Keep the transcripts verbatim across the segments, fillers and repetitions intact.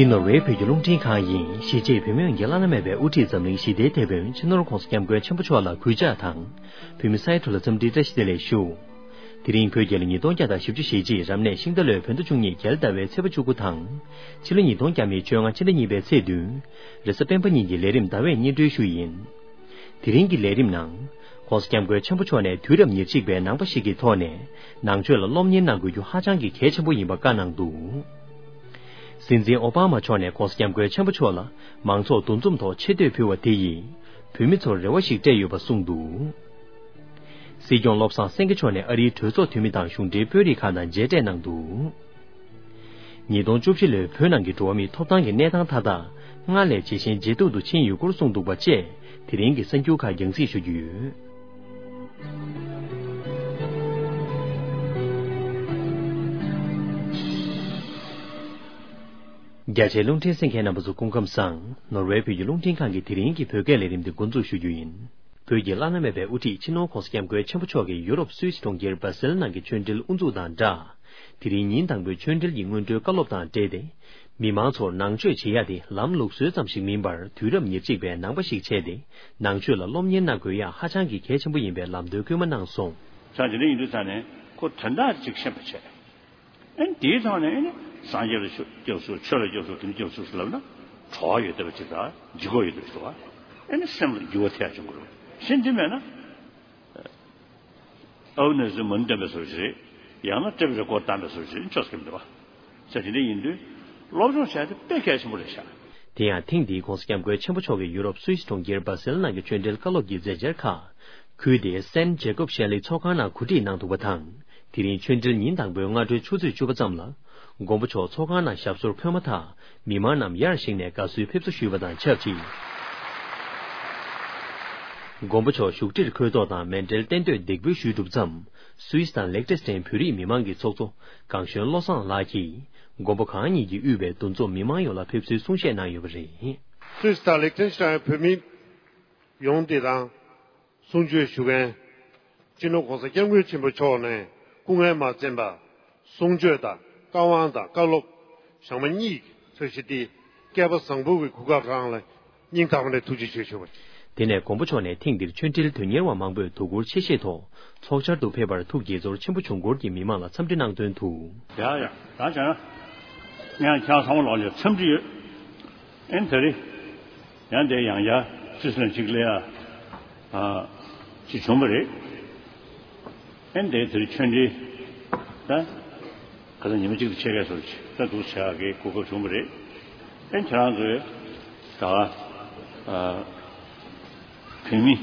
འདི་ནོར་ཝེ་བོད་ཀྱི་རླུང་འཕྲིན་ཁང་ཡིན། གཞིས་བྱེས་བོད་མི་མཉམ་འབྲེལ་བླ་ན་མེད་པའི་དབུ་ཁྲིད་འཛམ་གླིང་ཞི་བདེའི་དེད་དཔོན་སྤྱི་ནོར་༧གོང་ས་༧སྐྱབས་མགོན་ཆེན་པོ་མཆོག་ལ་གུས་ཕྱག་དང་། བོད་མི་ས་ཡ་དྲུག་ལ་འཚམས་འདྲིའི་བཀྲ་ཤིས་བདེ་ལེགས་ཞུ། དེ་རིང་བོད་རྒྱལ་ལོ་ཉིས་སྟོང་བརྒྱ་དང་བཞི་བཅུ་ཞེ་གཅིག་རབ་གནས་ཤིང་རྟ་ལོའི་བོད་ཟླ་བཅུ་གཉིས་རྒྱལ་ཟླ་བའི་ཚེས་པ་བཅུ་དགུ་དང་། ཕྱི་ལོ་ཉིས་སྟོང་བརྒྱ་མེད་བཅོ་ལྔ་ཕྱི་ཟླ་གཉིས་པའི་ཚེས་བདུན། རེས་གཟའ་སྤེན་པ་ཉིན་གྱི་ལས་རིམ་ཟླ་བས་སྙིང་སྒྲོན་ཞུ་ཡིན། དེ་རིང་གི་ལས་རིམ་ནང་། ༸གོང་ས་༸སྐྱབས་མགོན་ཆེན་པོ་མཆོག་ནས་དུས་རབས་ཉེར་གཅིག་པའི་ནང་པ་ཞིག་གི་ཐོག་ནས་ནང་ཆོས་ལ་སློབ་གཉེར་གནང་དགོས་རྒྱུ་ཧ་ཅང་གི་གལ་ཆེན་པོ་ཡིན་པ་བཀའ་གནང་འདུག། སྲིད་འཛིན་ཨོ་བྷ་མ་མཆོག་ནས་༸གོང་ས་༸སྐྱབས་མགོན་ཆེན་པོ་མཆོག་ལ་མང་ཚོགས་འདུ་འཛོམས་ཐོག་ཆེ་བསྟོད་ཕུལ་བ་དེ་ཡིས་བོད་མི་ཚོར་རེ་བ་ཞིག་སྤྲད་ཡོད་པ་གསུངས་འདུག། སྲིད་སྐྱོང་བློ་བཟང་སེང་གེ་མཆོག་ནས་ཨ་རིའི་གྲོས་ཚོགས་འཐུས་མི་དང་གཞུང་འབྲེལ་དཔོན་རིགས་ཁག་དང་མཇལ་འཕྲད་གནང་འདུག། ཉིས་སྟོང་བཅུ་བཞི་ལོའི་བོད་ནང་གི་འགྲོ་བ་མིའི་ཐོབ་ཐང་གི་གནས་སྟངས་མཐའ་དག་སྔར་ལས་ཇེ་ཞན་ཇེ་སྡུག་ཏུ་ཕྱིན་ཡོད་སྐོར་གསུངས་འདུག་པ་བཅས་དེ་རིང་གི་གསར་འགྱུར་ཁག་རྒྱང་སྲིང་ཞུ་རྒྱུ་ཡོད། རྒྱ་ཆེའི་རླུང་འཕྲིན་གསན་མཁན་རྣམ་པ་ཚོ་སྐུ་ཁམས་བཟང་། ནོར་ཝེ་བོད་ཀྱི་རླུང་འཕྲིན་ཁང་གི་དེ་རིང་གི་བོད་སྐད་ལས་རིམ་འདི་འགོ་འཛུགས་ཞུ་རྒྱུ་ཡིན། བོད་ཀྱི་བླ་ན་མེད་པའི་དབུ་ཁྲིད་སྤྱི་ནོར་༸གོང་ས་༸སྐྱབས་མགོན་ཆེན་པོ་མཆོག་གིས་ཡུ་རོབ་སུད་སི་གྲོང་ཁྱེར་སྦ་སེལ་ནང་གི་ཆོས་འབྲེལ་དབུ་འཛུགས་དང་སྦྲགས། དེ་རིང་ཉིན་དང་པོའི་ཆོས་འབྲེལ་གྱི་སྔོན་འགྲོའི་བཀའ་སློབ་དང་འབྲེལ་ཏེ། མི་མང་ཚོར་ནང་ཆོས་བྱེད་ཡ་དེ་ལམ་ལུགས་སྲོལ་ཙམ་ཞིག་མིན་པར་དུས་རབས་ཉེར་གཅིག་པའི་ནང་པ་ཞིག་བྱས་ཏེ། ནང་ཆོས་ལ་སློབ་གཉེར་གནང་དགོས་ཡ་ཧ་ཅང་གི་གལ་ཆེན་པོ་ཡིན་པའི་ལམ་སྟོན་སྐུལ་མ་གནང་སོང་། ཆ་འདི་འདྲ་ཡིན་དུས་ཙང་ནས་ཁོ་དོན་དག་ཅིག་ཤེས་པ་བྱས། ཨ་ནི་དེའི་ཐོག་ནས་ཨ་ནི་སངས་རྒྱས་ལ་སྐྱབས་སུ་ཆོས་ལ་སྐྱབས་སུ་དེ་ནི་སྐྱབས་སུ་ལབ་ན་གྲོགས་ཡོད་བསྡད་པ་ཅིག་དང་ལྗིད་ཁོག་ཡོད་བསྡད་པ་ཅིག་དང་ཨ་ནི་སེམས་ལ་འགྱུར་བ་ཐེབས་བྱུང་གི་རེད། གཞན་དེ་མེད་ན་ཨ་ནི་ཟེར་མ་ནི་བསྟན་པའི་བཟོ་ཞིག་རེད། ཡང་ན་ཏྲེ་བི་རེ་སྐོར་བཏང་པའི་བཟོ་ཞིག་རེད། ཆོས་སྐད་མི་འདུག་བ། ས་དེ་འདྲ་ཡིན་དུས་སློབ་སྦྱོང་བྱས་ཏེ་དཔེ་གལ་ཆེན་པོ་རེད་ཤག། དེ་ཡང་ཐེངས་འདིའི་༸གོང་ས་༸སྐྱབས་མགོན་ཆེན་པོ་མཆོག་གིས་ཡུ་རོབ་སུད་སི་གྲོང་ཁྱེར་སྦ་སེལ་ནང་གི་ཆོས་འབྲེལ་བཀའ་སློབ་ཀྱི་མཛད་འཆར་ཁག་ཁུལ་དེའི་སན་ཇེ་ཀོབ་ཤེ་ལི་ཚོགས་ཁང་ནང་གོ་སྒྲིག་གནང་འདུག་པ་དང་། དེ་རིང་ཆོས་འབྲེལ་ཉིན་དང་པོའི་སྔ་དྲོའི་ཆུ་ཚོད་བཅུ་པ་ཙམ་ལ། མགོན་པོ་མཆོག་ཚོགས་ཁང་ནང་ཞབས་སོར་འཁོད་མ་ཐག་མི་མང་རྣམས་ཡར་བཞེངས་ནས་དགའ་བསུའི་ཕེབས་བསུ་ཞུས་པ་དང་ཆབས་ཅིག། མགོན་པོ་མཆོག་བཞུགས་ཁྲིར་འཁོད་ཐོག་དང་མཎྜལ་རྟེན་མདོས་འདེགས་འབུལ་ཞུས་གྲུབ་མཚམས། སུད་སི་དང་ལེག་ཊེན་སི་ཊན་བོད་རིགས་མི་མང་གི་ཚོགས་གཙོ་གངས་གཞོན་བློ་བཟང་ལགས་ཀྱིས། མགོན་པོ་གང་ཉིད་ཀྱིས་དབུས་པའི་འདུ་འཛོམས་མི་མང་ཡོངས་ལ་ཕེབས་བསུའི་གསུང་བཤད་གནང་ཡོད་པ་རེད། སུད་སི་དང་ལེག་ཊེན་སི་ཊན་བོད་མི་ཡོངས་འདི་དང་གསུང་ཆོས་ཞུ་མཁན། སྤྱི་ནོར་༸གོང་ས་༸སྐྱབས་མགོན་ཆེན་པོ་མཆོག་ནས་སྐུ་ངལ་མ་བརྩམས་པར་གསུང་ཆོས་དང་བཀའ་དབང་དང་བཀའ་སློབ་ཞག་མ་གཉིས་ཀྱི་ཚགས་གཞི་འདི་བསྐལ་པ་བཟང་པོ་གི་གོ་སྐབས་རང་ལ་སྙིང་ཐག་པ་ནས་ཐུགས་རྗེ་ཆེ་ཞུ་བ། དེ་ནས་མགོན་པོ་མཆོག་ནས་ཐེངས་འདིར་ཆོས་འབྲེལ་དོན་གཉེར་བ་མང་པོས་དོ་ཁུར་ཆེ་བཞེས་ཐོག་ཚོགས་བཅར་དུ་ཕེབས་པར་ཐུགས་དགྱེས་ཚོར་ཆེན་པོ་བྱུང་སྐོར་གྱི་མི་མང་ལ་འཚམས་འདྲི་གནང་དོན་དུ། ཡ་ཡ། ད་བྱས་ན། ངས་ཁྱེད་ཚང་མ་ལོག་ལ་འཚམས་འདྲི་ཡོད། ཨེ་ནི་ད་རེས། ཡང་དེ་ཡང་བསྐྱར་སུད་སི་ནས་གཅིག་སླེབས་ཡ། ཨ། ཅིག་བྱུང་བ་རེད། ཨེ་ནི་དེ་དེར་ཆོས་འབྲེལ། ད། ཁ་སང་ཉི་མ་གཅིག་ཏུ་ཕྱེད་ཀའི་སོར་ཅིག་ད་འདུག་བྱ་གའི་གོ་སྐབས་བྱུང་བ་རེད། ཨེ་ནི་ཁྱེད་རང་ཚོའི་ད། ཨ། བོད་མི།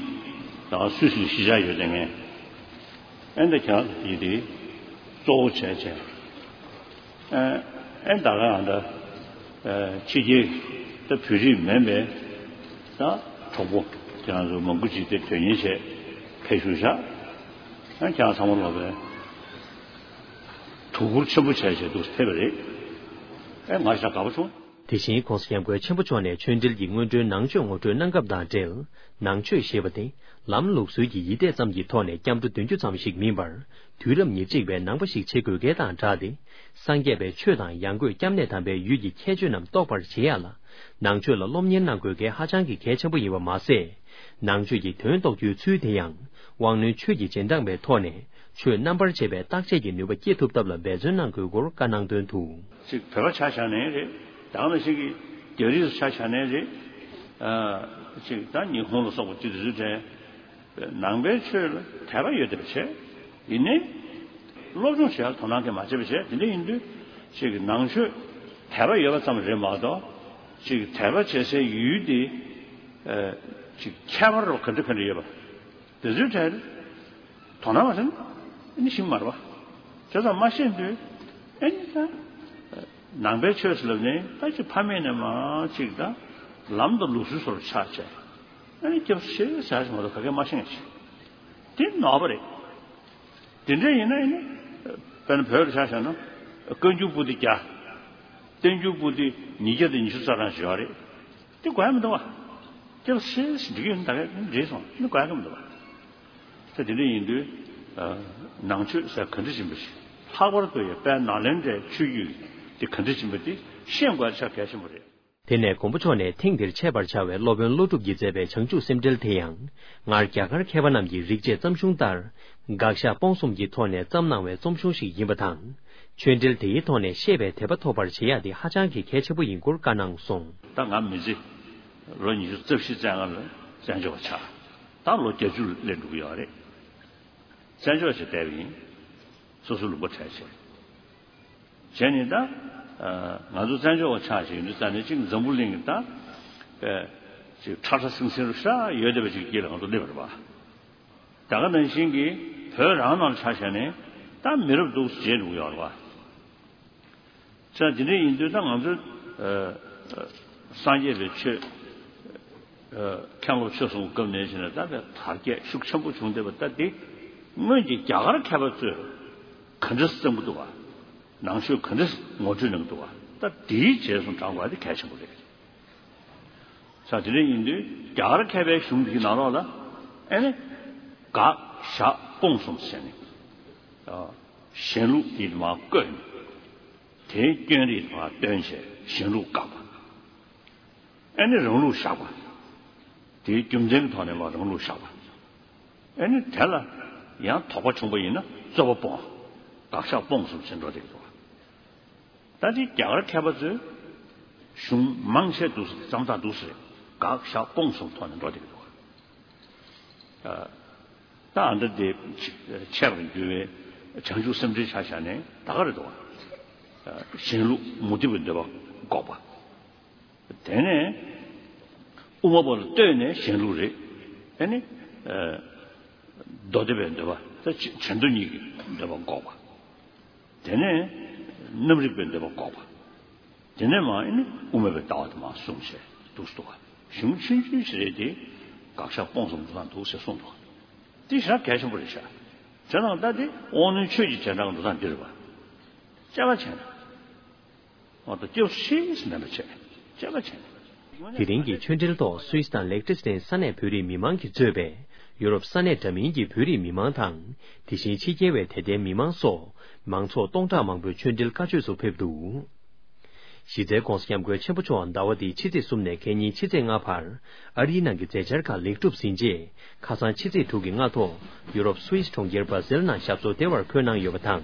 ད་སུད་སི་ལ་གཞིས་ཆགས་ཡོད་དེ་ངས། ཨེ་ནི་ད་ཁྱེད་རང་ཚོ་དེ་དེ་གཙོ་བོ་བྱས་བྱས། ཨེ་ཨེ་ད་ག་ང་ད་ཨེ་ཕྱི་རྒྱལ་ད་བོད་རིགས་མིན་པའི་ད་གྲོགས་པོ་ཁྱེད་རང་ཚོ་མང་པོ་ཅིག་དེ་དོན་གཉེར་བྱས་ཕེབས་བཞུགས་བཞག་ཨེ་ཁྱེད་རང་ཚང་མ་ལོག་པའི་དོ་ཁུར་ཆེན་པོ་བྱས་བྱས་འདུག་ཕེབས་པ་རེད། ཨེ་ང་ཞག་དགའ་པོ་བྱུང་། དེ་བཞིན་༸གོང་ས་༸སྐྱབས་མགོན་ཆེན་པོ་མཆོག་ནས་ཆོས་འབྲེལ་གྱི་སྔོན་འགྲོའི་ནང་ཆོས་ངོ་སྤྲོད་གནང་སྐབས་དང་འབྲེལ། ནང་ཆོས་ཞེས་པ་དེ་ལམ་ལུགས་སྲོལ་གྱི་ཡིད་གཏད་ཙམ་གྱི་ཐོག་ནས་སྐྱབས་འགྲོ་འདོན་རྒྱུ་ཙམ་ཞིག་མིན་པར། དུས་རབས་ཉེར་གཅིག་པའི་ནང་པ་ཞིག་བྱེད་དགོས་གལ་དང་སྦྲགས་ཏེ། སངས་རྒྱས་པའི་ཆོས་དང་ཡང་སྒོས་སྐྱབས་གནས་དམ་པའི་ཡུལ་གྱི་ཁྱད་ཆོས་རྣམས་རྟོགས་པར་བྱེད་ཡ་ལ། ནང་ཆོས་ལ་སློབ་གཉེར་གནང་དགོས་གལ་ཧ་ཅང་གི་གལ་ཆེན་པོ་ཡིན་པ་མ་ཟད། ནང་ཆོས་ཀྱི་དོན་རྟོགས་རྒྱུའི་ཚུལ་དེ་ཡང་། དབང་རྣོན་ཆོས་ཀྱི་རྗེས་འབྲང་བའི་ཐོག་ནས་ཆོས་རྣམ་པར་འབྱེད་པའི་བརྟག་དཔྱད་ཀྱི་ནུས་པ་སྐྱེད་ཐུབ་ཐབས་ལ་འབད་བརྩོན་གནང་དགོས་སྐོར་བཀའ་གནང་དོན་དུ། ཅིག་བོད་པ་ཆ་བཞག་ནའི་རེད། ད་ག་ནང་བཞིན་གྱི་རྒྱ་རིགས་ཆ་བཞག་ནའི་རེད། ཨ། ཅིག་ད་ཉི་ཧོང་ལ་སོགས་པ་ཅིག་དེ་ཚོའི་གྲས་ནང་པའི་ཆོས་ལ་དད་པ་ཡོད་བསྡད་པ་བྱས། ཡིན་ནའི་སློབ་སྦྱོང་བྱེད་ཡ་དོ་སྣང་གང་མ་བྱས་པ་བྱས། དེ་འདྲ་ཡིན་དུས་ཅིག་ནང་ཆོས་དད་པ་ཡོད་པ་ཙམ་རེད་མ་གཏོགས་ཅིག་དད་པ་བྱེད་སའི་ཡུལ་དེ་ཨ། ཅིག་ཁྱད་པར་རོ་ག་འདྲ་ག་འདྲ་ཡོད་པ། དེ་ཚོའི་གྲས་དོ་སྣང་མ་བྱས་ན་ཨ་ནི་ཤེས་མ་རེད་བ། བྱས་ཙང་མ་ཤེས་དུས་ཨ་ནི་ད་ནང་པའི་ཆོས་ཟེར་ལབ་ནས་ད་ཅིག་ཕ་མེས་ནས་མ་ཅིག་ད་ལམ་དང་ལུགས་སྲོལ་སོགས་ཆགས་བྱས། ཨ་ནི་སྐྱབས་སུ་མཆི་ཟེར་ཞིག་མ་གཏོགས་ག་གེ་མ་ཤེས་ཅིག་དེ་ནོར་བ་རེད། དེ་འདྲ་ཡིན་ན་ཨ་ནི་དཔེར་ན་བོད་ལ་ཆ་བཞག་ན་བཀའ་འགྱུར་པོ་ཏི་བརྒྱ། བསྟན་འགྱུར་པོ་ཏི་ཉིས་བརྒྱ་དང་ཉི་ཤུ་རྩ་གྲངས་ཡོད་རེད། དེ་དགོས་ཡ་མི་འདུག་བ། སྐྱབས་སུ་མཆི་ཟེར་འགྲིག་གི་ཡོད་ན་ད་ག་འགྲིག་སོང་། དེ་དགོས་ཡ་གི་མི་འདུག་བ། ད་དེ་འདྲ་ཡིན་དུས་ནང་ཆོས་ཟེར་ག་འདྲ་ཡིན་པ་ཞིག་ལྷག་པར་དུ་ཡང་དཔལ་ནཱ་ལེནྡྲའི་ཆོས་བརྒྱུད་དེ་ག་འདྲ་ཡིན་པ་དེ་ ཤེས་དགོས་ཆ་གལ་ཆེན་པོ་རེད། དེ་ནས་མགོན་པོ་མཆོག་ནས་ཐེངས་འདིར་ཆད་པར་བྱ་བའི་སློབ་དཔོན་ཀླུ་སྒྲུབ་ཀྱིས་མཛད་པའི་བྱང་ཆུབ་སེམས་འགྲེལ་དེ་ཡང་། སྔར་རྒྱ་གར་མཁས་པ་རྣམས་ཀྱིས་རིག་བྱེད་ཙམ་གཞུང་ལྟར། དགག་བཞག་སྤོང་གསུམ་གྱི་ཐོག་ནས་བརྩམས་གནང་བའི་རྩོམ་གཞུང་ཞིག་ཡིན་པ་དང་། ཆོས་འབྲེལ་དེའི་ཐོག་ནས་ཤེས་པའི་དད་པ་ཐོབ་པར་བྱེད་ཡག་དེ་ཧ་ཅང་གི་གལ་ཆེན་པོ་ཡིན་སྐོར་བཀའ་གནང་སོང་། ད་ང་མི་ཚེ་ལོ་ཉི་ཤུ་རྩ་བཞི་རྩ་ལྔ་ལ་བཙན་བྱོལ་བ་ཆགས། ད་ལོ་བརྒྱད་ཅུ་སླེབས་འགྲོ་གི་ཡོད་རེད། བཙན་བྱོལ་བ་ཞིག་བསྡད་པ་ཡིན། སོ་སོ་ལུང་པ་བྲལ་བྱས། བྱས་ནས་ད། ང་ཚོ་བཙན་བྱོལ་བ་ཆགས་བྱས་ཡོད་དུས་ཙང་ནས་ཅིག་འཛམ་བུ་གླིང་གི་ད། པའི་ཅིག་ཁྲ་ཁྲ་སིང་སིང་རུ་ཤ་ཡོད་བསྡད་པ་ཅིག་དཀྱིལ་ལ་ང་ཚོ་སླེབས་པ་རེད་པ། ད་ག་ནང་བཞིན་གྱི་བོད་རང་ནང་ཆ་བཞག་ནས་ད་མི་རབས་འདུག་བྱས་འགྲོ་གི་ཡོད་རེད་པ། ཅང་དེ་འདྲ་ཡིན་དུས་ད་ང་ཚོའི་སངས་རྒྱས་པའི་ཆོས། མཁན་སློབ་ཆོས་གསུམ་སྐབས་ནས་བྱས་ནས་ད་དཔེ་དར་རྒྱས་ཤུགས་ཆེན་པོ་བྱུང་བསྡད་པ་ད་འདི། སྔོན་གྱི་རྒྱ་གར་མཁས་པ་ཚོས་ག་འདྲ་བརྩམས་ཀྱི་འདུག་བ། ནང་ཆོས་ག་འདྲ་ངོ་སྤྲོད་གནང་གི་འདུག་བ། ད་དེའི་རྗེས་སུ་འབྲང་དགོས་པ་དེ་གལ་ཆེན་པོ་རེད། ས་དེ་འདྲ་ཡིན་དུས་རྒྱ་གར་མཁས་པའི་གཞུང་འདིའི་ནང་ལོགས་ལ་ཨེ་ནི། དགག་བཞག་སྤོང་གསུམ་ཟེར་ནས། གཞན་ལུགས་དེ་མར་བཀོད་ནས། དེའི་སྐྱོན་རིགས་མར་སྟོན་བྱས་གཞན་ལུགས་བཀག་པ། ཨེ་ནི་རང་ལུགས་བཞག་པ། དེའི་རྒྱུ་མཚན་གྱི་ཐོག་ནས་མར་རང་ལུགས་བཞག་པ། ཨེ་ནི་དེ་ལ་ཡང་དོགས་པ་བྱུང་བ་ཡིན་ན་རྩོད་པ་སྤོང་། དགག་བཞག་སྤོང་གསུམ་ཟེར་འགྲོ་བསྡད་ཀྱི་འདུག་ད་དེ་རྒྱ་གར་མཁས་པ་ཚོས་གཞུང་མང་ཆེ་འདུག་ཟེར། རྩོམ་སྟངས་འདུག་ཟེར། དགག་བཞག་སྤོང་གསུམ་ཐོག་ནས་འགྲོ་བསྡད་ཀྱི་འདུག་ད་ཨ་འདྲ་དེ་ཆད་པར་འགྱུར་བའི་བྱང་ཆུབ་སེམས་འགྲེལ་ཆ་བཞག་ནས་ད་ག་རེ་འདུག་བ། གཞན་ལུགས་མུ་སྟེགས་པའི་འདོད་པ་འགོག་པ། དེ་ནས་དབུ་མ་པ་ལ་ལྟོས་ནས་གཞན་ལུགས་རེད། དེ་ནས་མདོ་སྡེ་པའི་འདོད་པ་ད་བྱེ་མདོ་གཉིས་ཀྱི་འདོད་པ་འགོག་པ། དེ་ནས་རྣམ་རིག་པའི་འདོད་པ་འགོག་པ། དེ་ནས་མར་ཨེ་ནི་དབུ་མ་པའི་ལྟ་བ་དེ་མར་གསུངས་བྱས་འདུག་སེ་འདུག་ག་གཞུང་ཆུང་ཆུང་ཞིག་རེད་དེ། དགག་བཞག་སྤོང་གསུམ་འདུག་དང་འདུག་ཟེར་གསུངས་འདུག་དེ་ཞེ་དྲག་གལ་ཆེན་པོ་རེད་ཤག་བྱས་ཙང་ད་དེ་དབང་རྣོན་ཆོས་ཀྱི་རྗེས་འབྲང་འདུག་དང་འདི་རེད་པ། དཔྱད་པ་བྱས་ན། འོ་ད་སྐྱོ་ཤེས་མེད་པ་བྱས། དཔྱད་པ་བྱས་ན། དེ་རིང་གི་ཆོས་འབྲེལ་ཐོག་སུད་སི་དང་ལེག་ཏེ་སི་ཊན་ས་གནས་བོད་རིགས་མི་མང་གིས་གཙོས་པའི་ཡུ་རོབ་ས་གནས་འདྲ་མིན་གྱི་བོད་རིགས་མི་མང་དང་། དེ་བཞིན་ཕྱི་རྒྱལ་བའི་དད་ལྡན་མི་མང་སོགས་མང་ཚོགས་སྟོང་ཕྲག་མང་པོས་ཆོས་འབྲེལ་བཀའ་ཆོས་སུ་ཕེབས་འདུག་གཞི་རྩའི་༧གོང་ས་༧སྐྱབས་མགོན་ཆེན་པོ་མཆོག་ཟླ་བ་འདིའི་ཕྱི་ཚེས་གསུམ་ནས་ཁ་ཉིན་ཕྱི་ཚེས་ལྔ་བར་ཨ་རིའི་ནང་གི་མཛད་འཆར་ཁག་ལེགས་གྲུབ་ཟིན་རྗེས། ཁ་སང་ཕྱི་ཚེས་དྲུག་གི་སྔ་ཐོག་ཡུ་རོབ་སུད་སི་གྲོང་ཁྱེར་སྦ་སེལ་ནང་ཞབས་སོར་བདེ་བར་འཁོད་གནང་ཡོད་པ་དང་།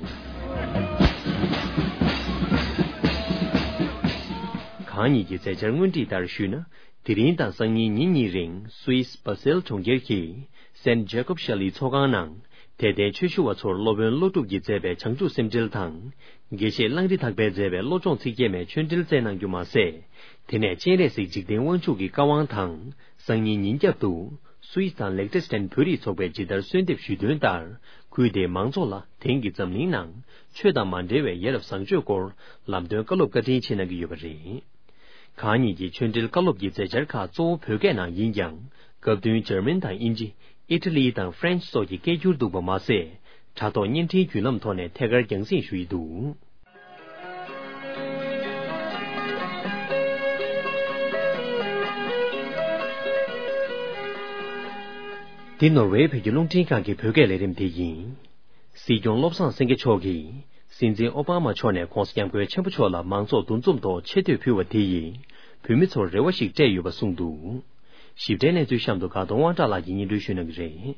གང་ཉིད་ཀྱི་མཛད་འཆར་སྔོན་ཁྲིད་ལྟར་ཞུས་ན། དེ་རིང་དང་སང་ཉིན་ཉིན་གཉིས་རིང་སུད་སི་སྦ་སེལ་གྲོང་ཁྱེར་གྱི་སན་ཇེ་ཀོབ་ཤ་ལིའི་ཚོགས་ཁང་ནང་། དད་ལྡན་ཆོས་ཞུ་བ་ཚོར་སློབ་དཔོན་ཀླུ་སྒྲུབ་ཀྱིས་མཛད་པའི་བྱང་ཆུབ་སེམས་འགྲེལ་དང་། དགེ་བཤེས་གླང་རི་ཐག་པས་མཛད་པའི་བློ་སྦྱོང་ཚིག་བརྒྱད་མའི་ཆོས་འབྲེལ་སྩལ་གནང་རྒྱུ་མ་ཟད། དེ་ནས་སྤྱན་རས་གཟིགས་འཇིག་རྟེན་དབང་ཕྱུག་གི་བཀའ་དབང་དང་། སང་ཉིན་ཉིན་རྒྱབ་ཏུ། སུད་སི་དང་ལེག་ཏེ་སི་ཊན་བོད་རིགས་ཚོགས་པས་ཇི་ལྟར་གསོལ་འདེབས་ཞུས་དོན་ལྟར། ཁུལ་དེའི་མང་ཚོགས་ལ་དེང་གི་འཛམ་གླིང་ནང་ཆོས་དང་མ་འབྲེལ་བའི་ཡ་རབས་བཟང་སྤྱོད་སྐོར་ལམ་སྟོན་བཀའ་སློབ་བཀའ་དྲིན་ཆེ་གནང་གི་ཡོད་པ་རེད། གང་ཉིད་ཀྱི་ཆོས་འབྲེལ་བཀའ་སློབ་ཀྱི་མཛད་འཆར་ཁག་གཙོ་བོ་བོད་སྐད་ནང་ཡིན་ཀྱང་། སྐབས་བསྟུན་འཇར་མན་དང་དབྱིན་ཇི། ཨི་ཊ་ལི་དང་ཧྥ་རན་སི་སོགས་ཀྱི་སྐད་སྒྱུར་འདུག་པ་མ་ཟད། དྲ་ཐོག་བརྙན་འཕྲིན་བརྒྱུད་ལམ་ཐོག་ནས་ཐད་ཀར་རྒྱང་སྲིང་ཞུ་ཡི་འདུག་འདི་ནོར་ཝེ་བོད་ཀྱི་རླུང་འཕྲིན་ཁང་གི་བོད་སྐད་ལས་རིམ་དེ་ཡིན། སྲིད་སྐྱོང་བློ་བཟང་སེང་གེ་མཆོག་གིས་སྲིད་འཛིན་ཨོ་བྷ་མ་མཆོག་ནས་༧གོང་ས་༧སྐྱབས་མགོན་ཆེན་པོ་མཆོག་ལ་མང་ཚོགས་འདུ་འཛོམས་ཐོག་ཆེ་བསྟོད་ཕུལ་བ་དེ་ཡིས་བོད་མི་ཚོར་རེ་བ་ཞིག་སྤྲད་ཡོད་པ་གསུངས་འདུག་ཞིབ་ཕྲའི་གནས་ཚུལ་གཤམ་དུ་དགའ་གདོང་དབང་གྲགས་ལགས་ཀྱིས་སྙན་སྒྲོན་ཞུ་གནང་གི་རེད།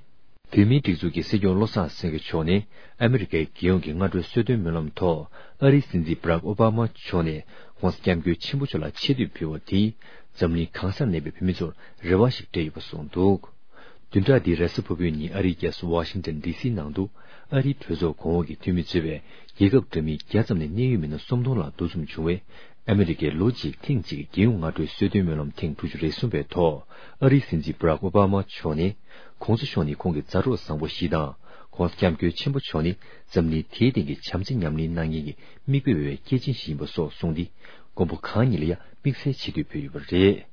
བོད་མིའི་སྒྲིག་འཛུགས་ཀྱི་སྲིད་སྐྱོང་བློ་བཟང་སེང་གེ་མཆོག་ནས་ཨ་མི་རི་ཀའི་རྒྱལ་ཡོངས་ཀྱི་སྔ་དྲོའི་གསོལ་སྟོན་སྨོན་ལམ་ཐོག་ཨ་རིའི་སྲིད་འཛིན་བྷ་རག་ཨོ་བྷ་མ་མཆོག་ནས་༧གོང་ས་༧སྐྱབས་མགོན་ཆེན་པོ་མཆོག་ལ་ཆེ་བསྟོད་ཕུལ་བ་དེས་འཛམ་གླིང་གང་སར་གནས་པའི་བོད་མི་ཚོར་རེ་བ་ཞིག་སྤྲད་ཡོད་པ་གསུངས་འདུག་བདུན་ཕྲག་འདིའི་རེས་གཟའ་ཕུར་བུའི་ཉིན་ཨ་རིའི་རྒྱལ་ས་ཝ་ཤིང་ཏན་ཌི་སིའི་ནང་དུ་ཨ་རིའི་གྲོས་ཚོགས་གོང་འོག་གི་འཐུས་མི་གཙོས་པའི་རྒྱལ་ཁབ་འདྲ་མིན་བརྒྱ་ཙམ་ནས་གནད་ཡོད་མི་སྣ་སུམ་སྟོང་ལྷག་འདུ་འཛོམས་བྱུང་བའི་ཨ་མི་རི་ཀའི་ལོ་གཅིག་ཐེངས་གཅིག་གི་རྒྱལ་ཡོངས་སྔ་དྲོའི་གསོལ་སྟོན་སྨོན་ལམ་ཐེངས་དྲུག་ཅུ་རེ་གསུམ་པའི་ཐོག་ཨ་རིའི་སྲིད་འཛིན་བྷ་རག་ཨོ་བྷ་མ་མཆོག་ནས་༧གོང་ས་མཆོག་ནི་ཁོང་གི་མཛའ་གྲོགས་བཟང་པོ་ཞིག་དང་༧གོང་ས་༧སྐྱབས་མགོན་ཆེན་པོ་མཆོག་ནི་འཛམ་གླིང་དེའི་སྟེང་གི་བྱམས་བརྩེ་ཉམས་ལེན་གནང་མཁན་གྱི་མིག་དཔེ་འོས་པའི་སྐྱེས་ཆེན་ཞིག་ཡིན་པ་སོགས་གསུངས་ཏེ་མགོན་པོ་གང་ཉིད་ལ་ཡང་དམིགས་བསལ་ཆེ་བསྟོད་ཕུལ་ཡོད་པ་རེད།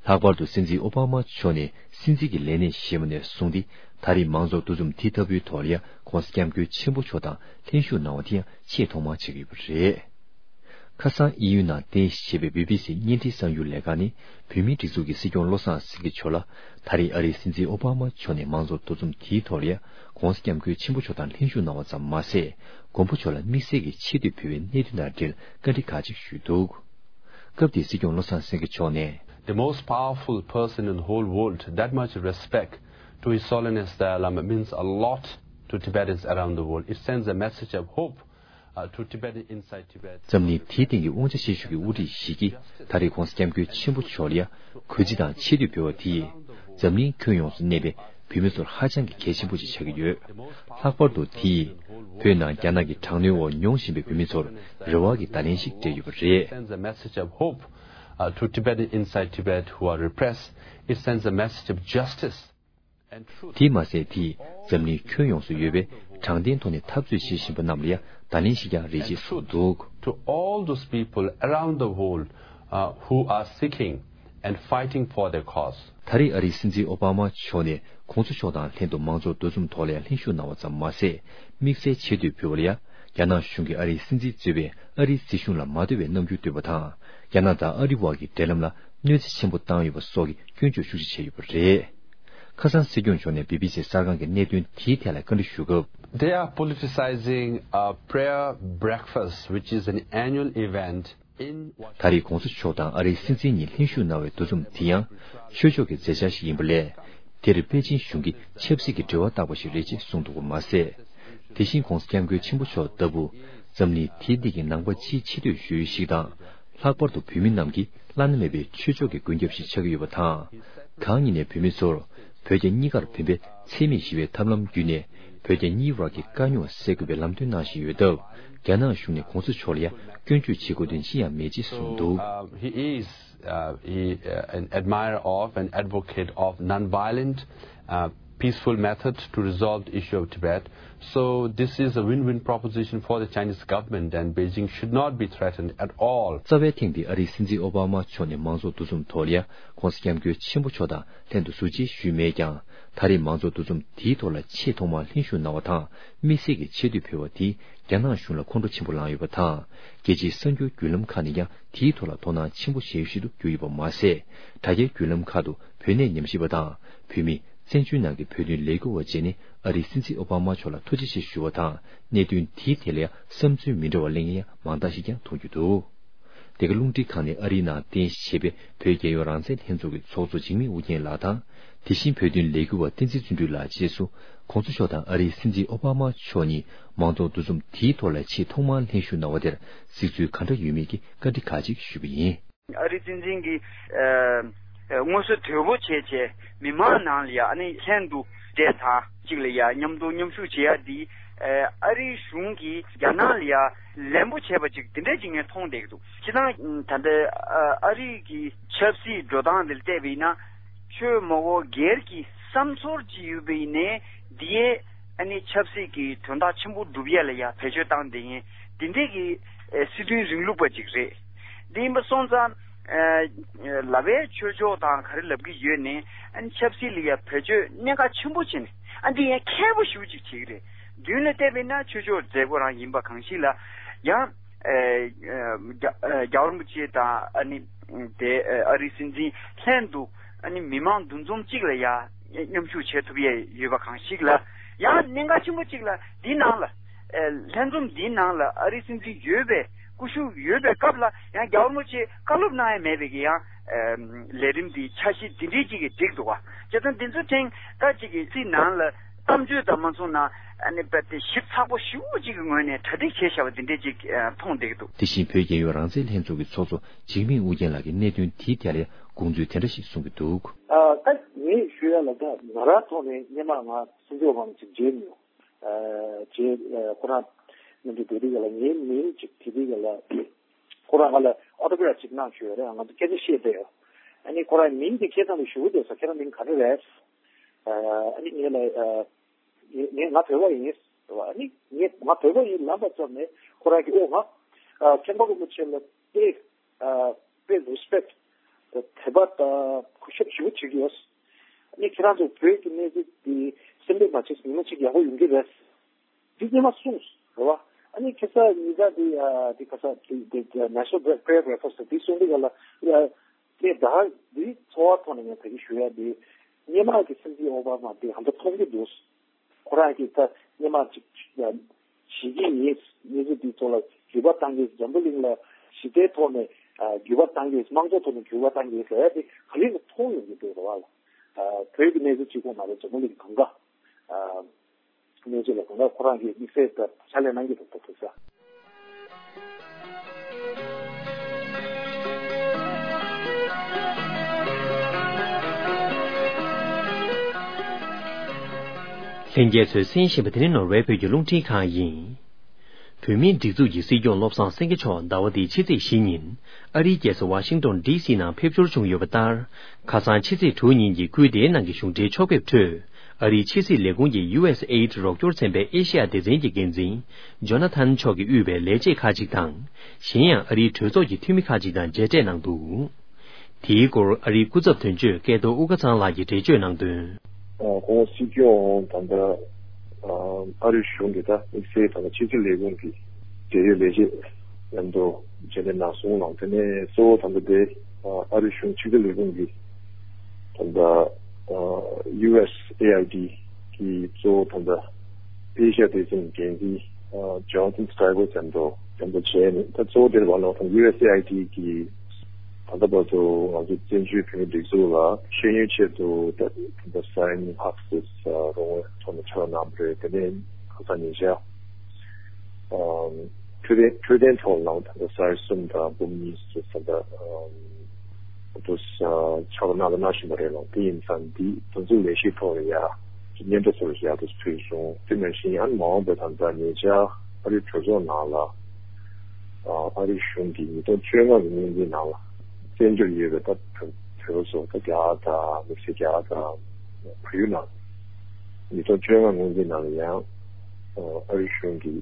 ལྷག་པར་དུ་སྲིད་འཛིན་ཨོ་བྷ་མ་མཆོག་ནས་སྲིད་འཛིན་གྱི་ལས་གནས་བཞེས་པ་ནས་བཟུང་སྟེ་ད་རེས་མང་ཚོགས་འདུ་འཛོམས་དེ་ལྟ་བུའི་ཐོག་ལ་ཡང་༧གོང་ས་༧སྐྱབས་མགོན་ཆེན་པོ་མཆོག་དང་ལྷན་ཞུགས་གནང་བ་དེ་ཡང་ཆེས་ཐོག་མར་ཆགས་ཀྱི་ཡོད་པ་རེད། ཁ་སང་དབྱིན་ཡུལ་ནང་རྟེན་གཞི་བྱས་པའི་བི་བི་སི་བརྙན་འཕྲིན་གསར་འགྱུར་ལས་ཁང་ནས་བོད་མིའི་སྒྲིག་འཛུགས་ཀྱི་སྲིད་སྐྱོང་བློ་བཟང་སེང་གེ་མཆོག་ལ་ད་རེས་ཨ་རིའི་སྲིད་འཛིན་ཨོ་བྷ་མ་མཆོག་ནས་མང་ཚོགས་འདུ་འཛོམས་དེའི་ཐོག་ལ་ཡང་༧གོང་ས་༧སྐྱབས་མགོན་ཆེན་པོ་མཆོག་དང་ལྷན་ཞུགས་གནང་བ་ཙམ་མ་ཟད། མགོན་པོ་མཆོག་ལ་དམིགས་བསལ་གྱི་ཆེ་བསྟོད་ཕུལ་བའི་གནད་དོན་དང་འབྲེལ་བཀའ་འདྲི་ཁག་ཅིག་ཞུས་འདུག་སྐབས་དེའི་སྲིད་སྐྱོང་བློ་བཟང་སེང་གེ་མཆོག་ནས། The most powerful person in the whole world, that much respect to His Holiness Dalai Lama means a lot to Tibetans around the world. It sends a message of hope, uh, to Tibet inside Tibet. འཛམ་གླིང་དེའི་སྟེང་གི་དབང་ཆ་ཆེ་ཤོས་ཀྱི་དབུ་ཁྲིད་ཞིག་གིས་ད་རེས་༸གོང་ས་༸སྐྱབས་མགོན་ཆེན་པོ་མཆོག་ལ་ཡ་གུས་བརྩི་དང་ཆེ་བསྟོད་ཕུལ་བ་དེས། འཛམ་གླིང་ཁྱོན་ཡོངས་སུ་གནས་པའི་བོད་མི་ཚོར་ཧ་ཅང་གི་གལ་ཆེན་པོ་ཞིག་ཆགས་ཀྱི་ཡོད། ལྷག་པར་དུ་དེས་བོད་ནང་རྒྱ་ནག་གི་དྲག་གནོན་འོག་མྱོང་བཞིན་པའི་བོད་མི་ཚོར་རེ་བ་གི་བརྡ་ལན་ཞིག་སྤྲད་ཡོད་པ་རེད། Sends a message of hope, uh, to Tibetans inside Tibet who are repressed. It sends a message of justice and truth. དེས་མ་ཟད། དེས་འཛམ་གླིང་ཁྱོན་ཡོངས་སུ་ཡོད་པའི་དྲང་བདེན་ཐོག་ནས་འཐབ་རྩོད་བྱེད་བཞིན་པ་རྣམས་ལ་ཡང་བརྡ་ལན་ཞིག་ཀྱང་རེ་ཆེད་གསུངས་འདུག། To all those people around the world, uh, who are seeking and fighting for their cause. ད་རེས་ཨ་རིའི་སྲིད་འཛིན་ཨོ་བྷ་མ་མཆོག་ནས་༸གོང་ས་མཆོག་དང་ལྷན་དུ་མང་ཚོགས་འདུ་འཛོམས་ཐོག་ལ་ཡང་ལྷན་ཞུགས་གནང་བ་ཙམ་མ་ཟད། དམིགས་བསལ་ཆེ་བསྟོད་ཕུལ་བ་ལ་ཡང་། རྒྱ་ནག་གཞུང་གིས་ཨ་རིའི་སྲིད་འཛིན་གཙོས་པའི་ཨ་རིའི་སྲིད་གཞུང་ལ་མ་འདོད་པའི་རྣམ་འགྱུར་སྟོན་པ་དང་། རྒྱ་ནག་དང་ཨ་རི་བར་གྱི་འབྲེལ་ལམ་ལ་གནོད་འཚེ་ཆེན་པོ་བཏང་ཡོད་པ་སོགས་ཀྱི་སྐྱོན་བརྗོད་ཤུགས་ཆེ་བྱས་ཡོད་པ་རེད། ཁ་སང་སྲིད་སྐྱོང་མཆོག་ནས་བི་བི་སི་གསར་ཁང་གི་གནད་དོན་དེའི་ཐད་ལ་བཀའ་འདྲི་ཞུ་སྐབས། They are politicizing a prayer breakfast, which is an annual event in Washington. ད་རེས་༸གོང་ས་མཆོག་དང་ཨ་རིའི་སྲིད་འཛིན་གཉིས་ལྷན་ཞུགས་གནང་བའི་འདུ་འཛོམས་དེ་ཡང་ཆོས་ཕྱོགས་ཀྱི་མཛད་འཆར་ཞིག་ཡིན་པ་ལས། དེར་པེ་ཅིན་གཞུང་གིས་ཆབ་སྲིད་ཀྱི་འབྲེལ་བ་བཏགས་པ་ཞིག་རེད་ཅེས་གསུངས་འདུག་པ་མ་ཟད། དེ་བཞིན་༸གོང་ས་༸སྐྱབས་མགོན་ཆེན་པོ་མཆོག་ལྟ་བུ་འཛམ་གླིང་དེའི་སྟེང་གི་ནང་པ་སྤྱིའི་ཆེ་བསྟོད་ཞུ་ཡུལ་ཞིག་དང་། ལྷག་པར་དུ་བོད་མི་རྣམས་ཀྱི་བླ་ན་མེད་པའི་ཆོས་ཕྱོགས་ཀྱི་མགོན་སྐྱབས་ཤིག་ཆགས་ཀྱི་ཡོད་པ་དང་། གང་ཉིད་ནས་བོད་མི་ཚོར་བོད་རྒྱ་གཉིས་ཀར་ཕན་པའི་འཚེ་མེད་ཞི་བའི་ཐབས་ལམ་བརྒྱུད་ནས་བོད་རྒྱ་གཉིས་བར་གྱི་དཀའ་རྙོག་སེལ་དགོས་པའི་ལམ་སྟོན་གནང་བཞིན་ཡོད་སྟབས། རྒྱ་ནག་གཞུང་ནས་༸གོང་ས་མཆོག་ལ་ཡང་སྐྱོན་བརྗོད་བྱེད་དགོས་དོན་ཅི་ཡང་མེད་ཅེས་གསུངས་འདུག། So, uh, he is, uh, he, uh, an admirer of and advocate of non-violent, uh, peaceful method to resolve the issue of Tibet. So this is a win-win proposition for the Chinese government, and Beijing should not be threatened at all. རྩ་བའི་ཐེངས་འདིའི་ཨ་རིའི་སྲིད་འཛིན་ཨོ་བྷ་མ་མཆོག་ནས་མང་ཚོགས་འདུ་འཛོམས་ཐོག་ལ་ཡང་༸གོང་ས་༸སྐྱབས་མགོན་ཆེན་པོ་མཆོག་དང་ལྷན་དུ་ཟུར་མཇལ་ཞུས་མེད་ཀྱང་། ད་རེས་མང་ཚོགས་འདུ་འཛོམས་དེའི་ཐོག་ལ་ཆེས་ཐོག་མར་ལྷན་ཞུགས་གནང་བ་དང་། དམིགས་བསལ་གྱི་ཆེ་བསྟོད་ཕུལ་བ་དེས་རྒྱ་ནག་གཞུང་ལ་ཁོང་ཁྲོ་ཆེན་པོ་ལངས་ཡོད་པ་དང་། རྒྱལ་སྤྱིའི་གསར་འགྱུར་བརྒྱུད་ལམ་ཁག་ནས་ཀྱང་དེའི་ཐོག་ལ་དོ་སྣང་ཆེན་པོ་བྱེད་ཡུལ་ཞིག་ཏུ་གྱུར་ཡོད་པ་མ་ཟད། དྲ་རྒྱའི་བརྒྱུད་ལམ་ཁག་ཏུ་བོད་གནས་ཉམས་ཞིབ་པ་དང་། བོད་མི། བཙན་བྱོལ་ནང་གི་བོད་དོན་ལས་འགུལ་བ་བཅས་ནས་ཨ་རིའི་སྲིད་འཛིན་ཨོ་བྷ་མ་མཆོག་ལ་ཐུགས་རྗེ་ཆེ་ཞུ་བ་དང་། གནད་དོན་དེའི་ཐད་ལ་ཡང་བསམ་ཚུལ་མི་འདྲ་བ་གླེང་མཁན་ཡང་མང་དག་ཞིག་ཀྱང་མཐོང་རྒྱུ་འདུག། འདི་ག་རླུང་འཕྲིན་ཁང་ནས་ཨ་རིའི་ནང་རྟེན་གཞི་བྱས་པའི་བོད་རྒྱལ་ཡོངས་རང་བཙན་ལྷན་ཚོགས་ཀྱི་ཚོགས་གཙོ་འཇིགས་མེད་ཨུ་རྒྱན་ལགས་དང་། དེ་བཞིན་བོད་དོན་ལས་འགུལ་བ་བསྟན་འཛིན་བརྩོན་འགྲུས་ལགས་བཅས་སུ་༸གོང་ས་མཆོག་དང་ཨ་རིའི་སྲིད་འཛིན་ཨོ་བྷ་མ་མཆོག་གཉིས་མང་ཚོགས་འདུ་འཛོམས་དེའི་ཐོག་ལ་ཆེས་ཐོག་མར་ལྷན་ཞུགས་གནང་བ་དེར་གཟིགས་ཚུལ་ག་འདྲ་ཡོད་མེད་ཀྱི་བཀའ་འདྲི་ཁག་ཅིག་ཞུས་པ་ཡིན། ཨ་རིའི་སྲིད་འཛིན་གྱིས་ཨ་ཨ་དངོས་སུ་དོལ་པོ་བྱས་བྱས་མི་མང་ནང་ལ་ཡ་ཨ་ནི་ལྷན་དུ་བསྡད་ཚར་གཅིག་ལ་ཡ་མཉམ་དུ་མཉམ་ཞུགས་བྱེད་ཡ་འདི་ཨ་ཨ་རིའི་གཞུང་གིས་རྒྱ་ནག་ལ་ཡ་ལན་པོ་བྱས་པ་ཅིག་འདི་འདྲ་ཅིག་ངས་མཐོང་བསྡད་ཀྱི་འདུག། སྤྱིར་བཏང་ད་ལྟ་ཨ་ཨ་རི་གི་ཆབ་སྲིད་འགྲོ་སྟངས་འདིར་བལྟས་པ་ཡིན་ན། ཆོས་མ་འོག་སྒེར་གྱི་བསམ་ཚོར་ཅིག་ཡོད་པ་ཡིན་ནའི་འདི་ཡས་ཨ་ནི་ཆབ་སྲིད་ཀྱི་དོན་དག་ཆེན་པོ་སྒྲུབ་ཡས་ལ་ཡ་བེད་སྤྱོད་བཏང་བསྡད་མཁན་འདི་འདྲས་ཀྱི་ཨ་སྲིད་དོན་རིང་ལུགས་པ་ཅིག་རེད། འདི་ཡིན་པ་སོང་ཙང་ཨ་ལབ་པའི་ཆོས་ཕྱོགས་དང་ག་རེ་ལབ་ཀྱི་ཡོད་ནའི་ཨ་ནི་ཆབ་སྲིད་ལ་ཡ་བེད་སྤྱོད་གནད་འགག་ཆེན་པོ་བྱས་ནས་ཨ་འདི་ཡང་མཁས་པོ་ཞེ་པོ་ཅིག་བྱེད་ཀྱི་རེད། མདུན་ལ་བལྟས་པ་ཡིན་ན་ཆོས་ཕྱོགས་མཛད་སྒོ་རང་ཡིན་པ་གང་ཞིག་ལ་ཡང་། ཨེ་ཨེ་རྒྱ་ཨེ་རྒྱལ་བ་རིན་པོ་ཆེ་དང་ཨ་ནི་དེ་ཨེ་ཨ་རིའི་སྲིད་འཛིན་ལྷན་དུ་ཨ་ནི་མི་མང་འདུ་འཛོམས་གཅིག་ལ་ཡ་མཉམ་ཞུགས་བྱེད་ཐུབ་ཡས་ཡོད་པ་གང་ཞིག་ལ་ཡང་གནད་འགག་ཆེན་པོ་གཅིག་ལ་འདི་ནང་ལ་ཨེ་ལྷན་འཛོམས་འདིའི་ནང་ལ་ཨ་རིའི་སྲིད་འཛིན་ཡོད་པའི་སྐུ་ཞབས་ཡོད་པའི་སྐབས་ལ་ཡང་རྒྱལ་བ་རིན་པོ་ཆེ་བཀའ་སློབ་གནང་ཡས་མེད་པའི་གི་ཡང་ཨེ་ལས་རིམ་འདི་འཆར་གཞི་འདི་འདྲའི་གཅིག་གི་བསྒྲིགས་འདུག་བ། བྱས་ཙང་འདི་ཚོ་ཐེངས་ད་གཅིག་གི་སྲིད་ནང་ལ། གཏམ་བརྗོད་དང་མ་མཚུངས་ན་ཨ་ནི་རྦད་དེ་ཞིབ་ཚགས་པོ་ཞེ་པོ་ཅིག་གི་ངོས་ནས་གྲ་སྒྲིག་བྱས་བཞག་པ་འདི་འདྲས་ཅིག་ཨ་མཐོང་བསྡད་ཀྱི་འདུག། དེ་བཞིན་བོད་རྒྱལ་ཡོངས་རང་བཙན་ལྷན་ཚོགས་ཀྱི་ཚོགས་གཙོ་འཇིགས་མེད་ཨུ་རྒྱན་ལགས་ཀྱིས་གནད་དོན་དེའི་ཐད་ལ་དགོངས་ཚུལ་དེ་འདྲ་ཞིག་གསུངས་ཀྱི་འདུག། ཨ་ད་ངས་ཞུ་ཡ་ལ་ད་ང་རང་ཐོག་ནས་སྔོན་མ་ང་སྲིད་འཛིན་འོ་བྷ་མ་ཅིག་མཇལ་མྱོང་། ཨ་རྗེས་ཨ་ཁོ་རང་མཉམ་དུ་སྡོད་དུས་ག་ལ་ངའི་མིང་ཅིག་དྲིས་དུས་ག་ལ་ཁོ་རང་ང་ལ་ཨོ་ཏོ་གྷ་རབ་ཅིག་གནང་ཞུ་ཡ་རེད། ང་ཚོ་སྐད་ཆ་བཤད་བསྡད་ཡོད། ཨ་ནི་ཁོ་རང་མིང་དེ་སྐད་ཐང་དུ་ཞུ་གི་འདུག་ས། ཁྱེད་རང་མིང་ག་རེ་རེད། ཨ་ནི་ངས་ལ་ཨ། ངས་ང་བོད་པ་ཡིན། ཨ་ནི་ངས་ང་བོད་པ་ཡིན་ལབ་པ་ཙམ་ནས་ཁོ་རང་གིས་ཨོ་ང་ཨ་མཁན་པོ་རིན་པོ་ཆེ་ལ་དཔེ་ཨ་དཔེ་རེ་སི་པེག་ཊི་དད་པ་དང་གུས་ཞབས་ཞེ་པོ་བྱེད་ཀྱི་ཡོད། ཨ་ནི་ཁྱེད་རང་ཚོ་བོད་ཀྱི་གནས་ཚུལ་འདི་སེམས་པས་མ་བྱས་ཉིན་མོ་གཅིག་ཡག་པོ་ཡོང་གི་རེད། འདི་སྔོན་མ་གསུངས་རེད་བ། ཨ་ནི་ཁ་སང་ཉིན་ལྟར་འདི་ཨ་འདི་ཁ་སང་འདི་འདི་National Prayer Breakfast་འདི་གསུང་འདི་ག་ལ་ཨ་དེ་ད་འདི་ཚོར་བ་ཐོག་ནས་ངས་ད་གིན་ཞུ་ཡ་འདི་སྔོན་མ་གི་སྲིད་འཛིན་ཨོ་བྷ་མ་འདི་ཧ་ད་མཐོང་གི་འདུག། ཁོ་རང་གིས་ད་སྔོན་མ་ཅིག་ཡ་བྱེད་ཀྱི་ཡིན། གནས་ཚུལ་འདི་ཚོ་ལ་རྒྱུས་པ་བཏང་གི། འཛམ་བུ་གླིང་ལ་ཞི་བདེའི་ཐོག་ནས་ཨ། འགྱུར་བ་གཏང་གི་ཡོད། དམངས་གཙོ་ཐོག་ནས་འགྱུར་བ་གཏང་གི་ཡོད་ཟེར་ཡ་དེ་ག་ལེར་མཐོང་ཡོང་གི་འདུག་རེད་བ་ལ། ཨ། བོད་ཀྱི་གནས་ཚུལ་གཅིག་པོ་མ་རེད། འཛམ་བུ་གླིང་གང་ག་ཨ། གནས་ཚུལ་ལ་གང་ག་ཁོ་རང་གིས་དམིགས་བསལ་ལྟར་ཕྱག་ལས་གནང་གི་འདུག་ད་དུ་ས། ལྷན་རྒྱས་ཚོས་གསན་བཞིན་པ་དེ་ནི་ནོར་ཝེ་བོད་ཀྱི་རླུང་འཕྲིན་ཁང་ཡིན། བོད་མིའི་སྒྲིག་འཛུགས་ཀྱི་སྲིད་སྐྱོང་བློ་བཟང་སེང་གེ་མཆོག་ཟླ་བ་འདིའི་ཕྱི་ཚེས་བཞི་ཉིན་ཨ་རིའི་རྒྱལ་ས་ཝ་ཤིང་ཏོན་ཌི་སི་ནང་ཕེབས་འབྱོར་བྱུང་ཡོད་པ་ལྟར། ཁ་སང་ཕྱི་ཚེས་དྲུག་ཉིན་གྱི་སྐུའི་བདེ་གནང་གི་གཞུང་འབྲེལ་ཕྱོགས་ཕེབས་ཁྲོད། ཨ་རིའི་ཕྱི་སྲིད་ལས་ཁུངས་ཀྱི་ཡུ་ཨེས་ཨེ་ཌི་རོགས་སྐྱོར་ཚན་པའི་ཨེ་ཤེ་ཡ་སྡེ་ཚན་གྱི་འགན་འཛིན་ཇོ་ན་ཐན་མཆོག་གིས་དབུས་པའི་ལས་བྱེད་ཁག་ཅིག་དང་། གཞན་ཡང་ཨ་རིའི་གྲོས་ཚོགས་ཀྱི་འཐུས་མི་ཁག་ཅིག་དང་མཇལ་འཕྲད་གནང་འདུག། དེའི་སྐོར་ཨ་རིའི་སྐུ་ཚབ་དོན་གཅོད་སྐལ་རྡོར་དབུ་དགའ་ཚང་ལགས་ཀྱིས་འགྲེལ་བརྗོད་གནང་དོན། ཨ། ཁོང་སྲིད་སྐྱོང་ད་ལྟ་ཨ་རིའི་གཞུང་གི་ད་དམིགས་བསལ་ད་ལྟ་ཕྱི་སྲིད་ལས་ཁུངས་ཀྱི་འབྲེལ་ཡོད་ལས་བྱེད་མཉམ་དུ་མཇལ་འཕྲད་གནང་སོང་ལ། དེ་ནས་གཙོ་བོ་ད་ལྟ་དེ་ཨ་རིའི་གཞུང་ཕྱི་སྲིད་ལས་ཁུངས་ཀྱི་ད་ལྟ་ཨ་ཡུ་ཨེས་ཨེ་ཨའི་ཌི་གི་གཙོ་བོ་ད་ལྟ་ཨེ་ཤ་ཡ་སྡེ་ཚན་འགན་འཛིན་ཨ་ཇོན་ཐན་སི་ཀྲའི་བར་མཉམ་དུ་མཉམ་དུ་བྱས་ནས། ད་གཙོ་བོ་དེར་བ་ལོག་དང་ཡུ་ཨེས་ཨེ་ཨའི་ཌི་གི་ད་ལྟ་བར་དུ་ང་ཚོ་བཙན་བྱོལ་བོད་མིའི་སྒྲིག་འཛུགས་ལ་ཤེས་ཡོན་ཆེད་དུ་ད་ད་ལྟ་སའི་ནི་ཧབ་སི་རོང་བོའི་ཐོག་ནས་ཕྱག་གནང་བ་རེད། དེ་ནས་ཁ་སང་ཉིན་ཤག་ཨ་འཕྲོད་བསྟེན་འཕྲོད་བསྟེན་ཐོག་ལའང་ད་ལྟ་སའི་གསུམ་དང་འབུམ་གཉིས་སུ་ད་ལྟ་ཨ་དུ་ཕྱག་གནང་གནང་བཞིན་པ་རེད་ལ། དེ་ཡིན་ཙང་འདི་འདི་ཚོ་ལས་གཞིའི་ཐོག་ལ་ཡ་སྙན་ཐོ་སོགས་ཡག་ཏུ་ཕུལ་སོང་། དེ་ནང་བཞིན་ཡང་མ་འོངས་པའི་ད་ལྟ་ཉེ་ཆར་ཨ་རིའི་གྲོས་ཚོགས་ནང་ལ་ཨ་རིའི་གཞུང་གིས་ཉིས་སྟོང་བཅོ་ལྔ་གི་སྔོན་འཛིན་ནང་ལ་བཙན་བྱོལ་ཡོད་པའི་ད་བོད་བོད་པ་ཚོ་ད་རྒྱ་གར་དང་དམིགས་བསལ་རྒྱ་གར་དང་བལ་ཡུལ་ནང་ཉིས་སྟོང་བཅོ་ལྔ་སྔོན་འཛིན་ནང་ལ་ཡང་ཨ་རིའི་གཞུང་གིས་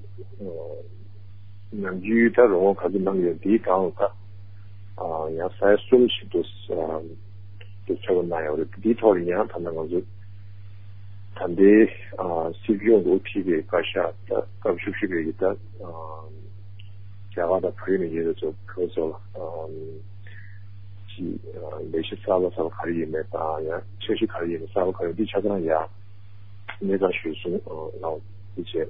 ནམ་རྒྱུན་ད་རོགས་པ་ག་ཚོད་གནང་ཡོད་འདིའི་སྒང་ལ་ད་ཨ་ཡང་ས་ཡ་གསུམ་ཞིག་ཏུ་ཨ་དེ་ཆགས་པ་གནང་ཡོད་རེད། འདིའི་ཐོག་ལ་ཡང་ད་ལྟ་ང་ཚོ་ད་ལྟའི་ཨ་སྲིད་སྐྱོང་དུ་ཁྲིད་པའི་བཀའ་ཤག་ད་སྐབས་བཅུ་བཞི་པའི་གི་ད་ཨ་རྒྱ་གར་དང་བལ་ཡུལ་ནས་ཡོད་པའི་ཚོ་ཁོ་ཚོ་ལ་ཨ་ཅི་ཨ་ལས་གཞི་གསར་པ་གསར་པ་ག་རེ་ཡིན་མེད་དང་། ཡང་འཆར་གཞི་ག་རེ་ཡིན་མེད་གསར་པ་ག་རེ་འདི་ཆ་ཚང་ཡང་གནས་སྟངས་ཞུས་སོང་། ཨ་ལའོ་དེ་བྱས།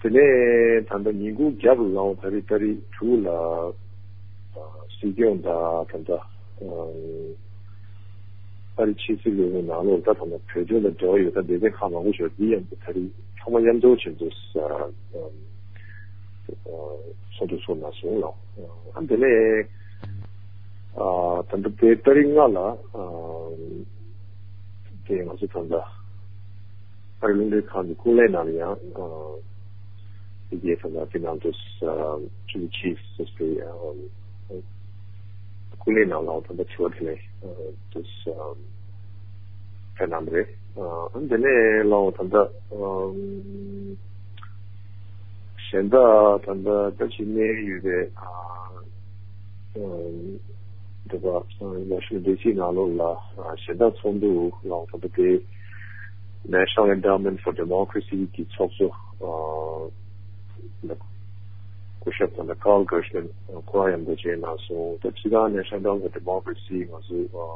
དེ་ནས་ད་ལྟ་ཉིན་གུང་རྒྱབ་ལའོ་ད་རེས་ཏ་རིག་དྲུག་ལ་ཨ་སྲིད་སྐྱོང་དང་ད་ལྟ་ཨ་ཨ་རི་ཕྱི་སྲིད་ལས་ཁུངས་ནང་ལོགས་ད་ད་ལྟ་བོད་དོན་དང་འབྲེལ་བ་ཡོད་ད་སྡེ་ཚན་ཁག་མང་པོ་ཞིག་འདི་ཡང་ད་རེས་ཚང་མ་མཉམ་འཛོམས་བྱས་འདུག་ཨ་ཚོགས་འདུ་ཚོགས་གནང་སོང་ལ། ཨ་དེ་ནས་ཨ་ད་ལྟ་དེ་ཏ་རིག་ལྔ་ལ་ཨ་དེ་ང་ཚོ་ད་ལྟ་ཨ་རི་རླུང་འཕྲིན་ཁང་གི་ཀུན་གླེང་ནང་ལ་ཡང་ཨ་དེ་གའི་ད་ལྟ་དེ་ནང་དུ་ཨ་ཅུ་ཆིས་སི་དེ་ཨ་ཀུན་གླེང་ནང་ལ་ད་ལྟ་དྲི་བ་དེ་ནས་ཨ་དུ་ཨ་ཕེབས་གནང་བ་རེད། ཨ་དེ་ནས་ལའོ་ད་ལྟ་ཨ་གཞན་དག་ད་ལྟ་ད་ཅི་གནས་ཡོད་པའི་ཨ་ཨ་འདི་པ་ཨ་ཝ་ཤིང་ཏོན་ཌི་སི་ནང་ལོགས་ལ་ཨ་གཞན་དག་ཚོགས་འདུ་ལའོ་ད་ལྟ་དེ་National Endowment for Democracy གི་ཚོགས་གཙོ་ཨ་སྐུ་ཞབས་ད་ལྟ་Carl Gershman ཁོ་རང་མཉམ་དུ་མཇལ་གནང་སོང་། ད་སྤྱིར་བཏང་National Endowment for Democracy ང་ཚོ་ཨ་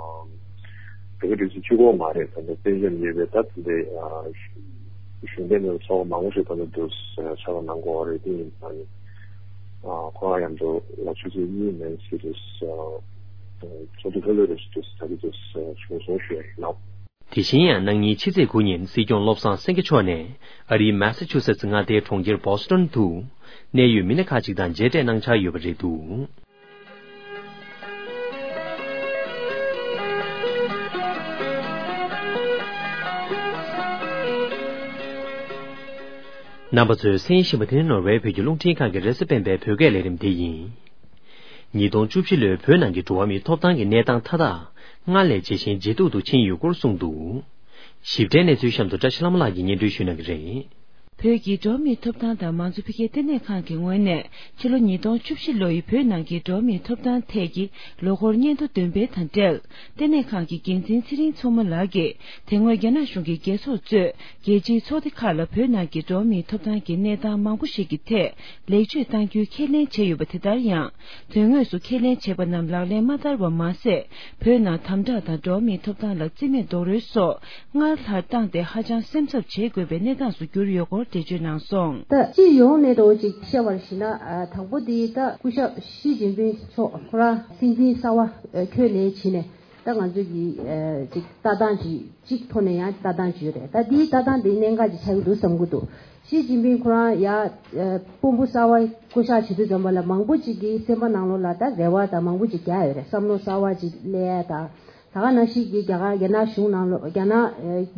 བོད་ཀྱི་སྒྲིག་འཛུགས་གཅིག་པོ་མ་རེད། ད་ལྟ་བཙན་བྱོལ་ནས་ཡོད་པའི་ད་དེ་འདྲའི་ཨ་གཞུང་འབྲེལ་མེད་པའི་ཚོགས་པ་མང་པོ་ཞིག་ད་ལྟ་འདུག་ཕྱག་ལས་གནང་དགོས་པ་རེད། དེ་ཡིན་ཙང་ཨ་ཁོ་རང་མཉམ་དུ་ལ་ཆུ་ཚོད་གཉིས་མན་ཟེར་དུས་ཨ་ཚོགས་འདུ་ལྷོད་ལྷོད་རེ་ཞིག་འདུག་ད་གི་འདུག་བྱུང་སོང་ཞུ་ཡ་ཡིན་ལགས། དེ་བཞིན་ཡང་གནངས་ཉིན་ཕྱི་ཚེས་དགུ་ཉིན་སྲིད་སྐྱོང་བློ་བཟང་སེང་གེ་མཆོག་ནས་ཨ་རིའི་མེ་ས་ཆུ་སེ་ཙི་མངའ་སྡེའི་གྲོང་ཁྱེར་བྷོ་སི་ཊོན་དུ་གནད་ཡོད་མི་སྣ་ཁག་ཅིག་དང་མཇལ་འཕྲད་གནང་འཆར་ཡོད་པ་རེད་འདུག། རྣམ་པ་ཚོས་གསན་བཞིན་པ་དེ་ནི་ནོར་ཝེ་བོད་ཀྱི་རླུང་འཕྲིན་ཁང་གི་རེས་གཟའ་སྤེན་པའི་བོད་སྐད་ལས་རིམ་དེ་ཡིན། ཉིས་སྟོང་བཅུ་བཞི་ལོའི་བོད་ནང་གི་འགྲོ་བ་མིའི་ཐོབ་ཐང་གི་གནས་སྟངས་མཐའ་དག་སྔར་ལས་ཇེ་ཞན་ཇེ་སྡུག་ཏུ་ཕྱིན་ཡོད་སྐོར་གསུངས་འདུག། ཞིབ་ཕྲའི་གནས་ཚུལ་གཤམ་དུ་བཀྲ་ཤིས་ལྷ་མོ་ལགས་ཀྱིས་སྙན་སྒྲོན་ཞུ་གནང་གི་རེད། བོད་ཀྱི་འགྲོ་བ་མིའི་ཐོབ་ཐང་དང་མང་གཙོ་འཕེལ་རྒྱས་ལྟེ་གནས་ཁང་གི་ངོས་ནས་ཕྱི་ལོ་ཉིས་སྟོང་བཅུ་བཞི་ལོ་ཡི་བོད་ནང་གི་འགྲོ་བ་མིའི་ཐོབ་ཐང་ཐད་ཀྱི་ལོ་འཁོར་སྙན་ཐོ་འདོན་སྤེལ་དང་འབྲེལ། ལྟེ་གནས་ཁང་གི་འགན་འཛིན་ཚེ་རིང་མཚོ་མོ་ལགས་ཀྱིས་དེ་སྔོན་རྒྱ་ནག་གཞུང་གི་རྒྱལ་ཚོགས་གཙོས་རྒྱལ་སྤྱིའི་ཚོགས་སྡེ་ཁག་ལ་བོད་ནང་གི་འགྲོ་བ་མིའི་ཐོབ་ཐང་གི་གནས་སྟངས་མང་པོ་ཞིག་གི་ཐད་ལེགས་བཅོས་གཏང་རྒྱུའི་ཁས་ལེན་བྱས་ཡོད་པ་དེ་ལྟར་ཡང་། དོན་དངོས་སུ་ཁས་ལེན་བྱས་པ་རྣམས་ལག་ལེན་མ་བསྟར་བ་མ་ཟད། བོད་ནང་དམ་དྲག་དང་འགྲོ་བ་མིའི་ཐོབ་ཐང་ལ་རྩིས་མེད་རྡོག་རོལ་སོགས་སྔར་ལྷག་བཏང་སྟེ་ཧ་ཅང་སེམས་འཚབ་བྱེད་དགོས་པའི་གནས་སྟངས་སུ་གྱུར་ཡོད་སྐོར། འགྲེལ་བརྗོད་གནང་སོང་། ད་སྤྱི་ཡོངས་ནས་འགྲོ་ཅིག་བཤད་པར་ཞིག་ན། ཨ། དང་པོ་དེ་ད་སྐུ་ཞབས་ཞི་ཅིན་ཕིང་མཆོག་ཁོ་རང་སྲིད་འཛིན་གསར་པ་འཁོད་ནས་བྱས་ནས། ད་ང་ཚོས་ཀྱི་ཨ་ཅིག་ལྟ་སྟངས་ཅིག་གཅིག་ཐོག་ནས་ཡང་ལྟ་སྟངས་ཅིག་ཡོད་རེད། ད་འདིའི་ལྟ་སྟངས་འདི་གནད་འགག་ཅིག་ཆགས་ཀྱི་འདུག་བསམ་གྱི་འདུག་ཞི་ཅིན་ཕིང་ཁོ་རང་ཡ་ཨ་དཔོན་པོ་གསར་པ་བསྐོ་གཞག་བྱེད་དུས་ཙམ་པ་ལ། མང་པོ་ཅིག་གི་སེམས་པ་ནང་ལོགས་ལ་ད་རེ་བ་ད་མང་པོ་ཅིག་རྒྱག་ཡོད་རེད། བསམ་བློ་གསར་པ་ཅིག་སླེབས་ཡ་ད། ད་ག་ནང་བཞིན་གྱི་རྒྱ་གར་རྒྱ་ནག་གཞུང་ནང་ལོགས། རྒྱ་ནག་ཨ་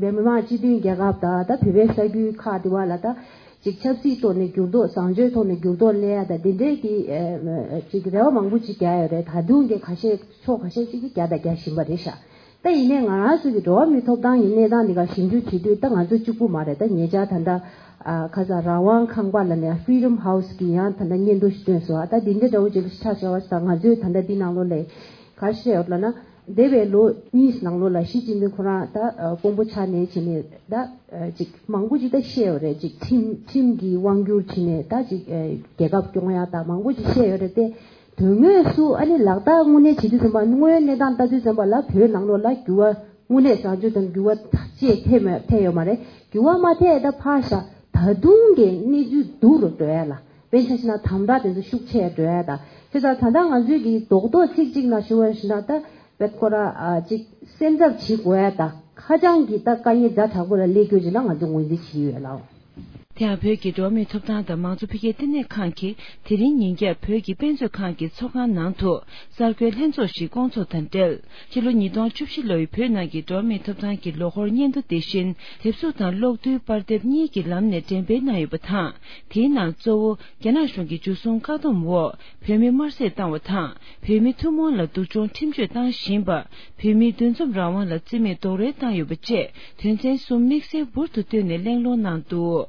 མི་དམངས་སྤྱི་མཐུན་རྒྱལ་ཁབ་དང་ད་བོད་པའི་ས་ཁུལ་ཁག་དེ་བ་ལ་ད་ཅིག་ཆབ་སྲིད་ཐོག་ནས་འགྱུར་ལྡོག། བཟང་སྤྱོད་ཐོག་ནས་འགྱུར་ལྡོག་སླེབས་ཡ་ད་འདི་འདྲའི་གི་ཨ་ཅིག་རེ་བ་མང་པོ་ཅིག་རྒྱག་ཡོད་རེད། ད་དུང་གི་ཁ་ཤས་ཕྱོགས་ཁ་ཤས་ཅིག་གིས་རྒྱག་ད་རྒྱག་བཞིན་པ་རེད་ཤག་ད་ཡིན་ནའི་ང་རང་ཚོ་གི་འགྲོ་བ་མིའི་ཐོབ་ཐང་གི་གནས་སྟངས་འདི་ག་ཞིབ་འཇུག་བྱེད་དུས་ད་ང་ཚོ་གཅིག་པུ་མ་རེད། ད་ཉེ་ཆར་ད་ལྟ་ཨ་ཁ་ས་རང་དབང་ཁང་པ་ལ་ནས་Freedom House་གི་ཡང་ད་ལྟ་སྙན་ཐོ་ཞིག་བཏོན་སོང་། ཨ་ད་འདི་འདྲ་འདྲ་བོ་ཅིག་ཆགས་བཞག་པ་ཞིག་ད་ང་ཚོས་ད་ལྟ་འདི་ནང་ལོགས་ལ་ག་རེ་བཤད་ཡོད་ལབ་ན། འདས་པའི་ལོ་གཉིས་ནང་ལོགས་ལ་ཞི་ཅིན་ཕིང་ཁོ་རང་ད་ཨ་དཔོན་པོ་ཆགས་ནས་བྱས་ནས་ད་ཨ་ཅིག་མང་པོ་ཅིག་ད་བཤད་ཡོད་རེད། ཅིག་ཁྲིམས་ཁྲིམས་ཀྱི་དབང་སྒྱུར་བྱས་ནས་ད་ཅིག་ཨ་རྒྱལ་ཁབ་སྐྱོང་ཡ་ད་མང་པོ་ཅིག་བཤད་ཡོད་རེད་དེ། དོན་དངོས་སུ་ཨ་ནི་ལག་བསྟར་དངོས་གནས་བྱེད་དུས་ཙམ་པ། དངོས་ཡོད་གནས་སྟངས་ལྟ་དུས་ཙམ་པ་ལ་བོད་ནང་ལོགས་ལ་འགྱུར་བ་དངོས་གནས་བཟང་སྤྱོད་དང་འགྱུར་བ་ཐག་ཆད་ཐེབས་མ་ཐེབས་ཡོད་མ་རེད། འགྱུར་བ་མ་ཐེབས་ད་ཕར་བཞག་ད་དུང་གི་གནས་ཚུལ་སྡུག་རུ་འགྲོ་ཡ་ལ། དཔེར་ཆ་བཞག་ན་དམ་དྲག་དེ་ཚོ་ཤུགས་ཆེ་འགྲོ་ཡ་ད། བྱས་ཙང་ད་ལྟ་ང་ཚོའི་གི་རྡོག་རྡོག་ཚིག་གཅིག་ནང་ཞུ་བ་ཞིག་ན་ད། བེད་ཁོ་ར་ཨ་ཅིག་སེམས་འཚབ་བྱེད་དགོས་ཡ་ད། ཁ་བྱང་གི་ད་དཀའ་ངལ་ཛ་དྲག་པོ་ལ་སླེབས་རྒྱུ་ཅིག་ལ་ང་ཚོ་ངོས་འཛིན་བྱེད་ཡོད་ལགས། དེ་ཡང་བོད་ཀྱི་འགྲོ་བ་མིའི་ཐོབ་ཐང་དང་མང་གཙོ་འཕེལ་རྒྱས་ལྟེ་གནས་ཁང་གིས་དེ་རིང་ཉིན་རྒྱབ་བོད་ཀྱི་དཔེ་མཛོད་ཁང་གི་ཚོགས་ཁང་ནང་དུ་གསར་འགོད་ལྷན་ཚོགས་ཤིག་བསྐོང་ཚོགས་དང་འབྲེལ། ཕྱི་ལོ་ཉིས་སྟོང་བཅུ་བཞི་ལོ་ཡི་བོད་ནང་གི་འགྲོ་བ་མིའི་ཐོབ་ཐང་གི་ལོ་འཁོར་སྙན་ཐོ་དེ་བཞིན་དེབ་གཟུགས་དང་གློག་རྡུལ་པར་དེབ་གཉིས་ཀྱི་ལམ་ནས་འགྲེམས་སྤེལ་གནང་ཡོད་པ་དང་། དེའི་ནང་གཙོ་བོ་རྒྱ་ནག་གཞུང་གི་འཇུ་བཟུང་བཀག་སྡོམ་འོག་བོད་མི་དམར་གསོད་བཏང་བ་དང་། བོད་མི་ཐུན་མོང་ལ་སྡུག་སྦྱོང་ཁྲིམས་གཅོད་བཏང་བཞིན་པ། བོད་མིའི་འདུ་འཛོམས་རང་དབང་ལ་བརྩི་མེད་རྡོག་རོལ་བཏང་ཡོད་པ་བཅས་དོན་ཚན་གསུམ་དམིགས་བསལ་འབུར་དུ་བཏོན་ནས་གླེང་སློང་གནང་འདུག་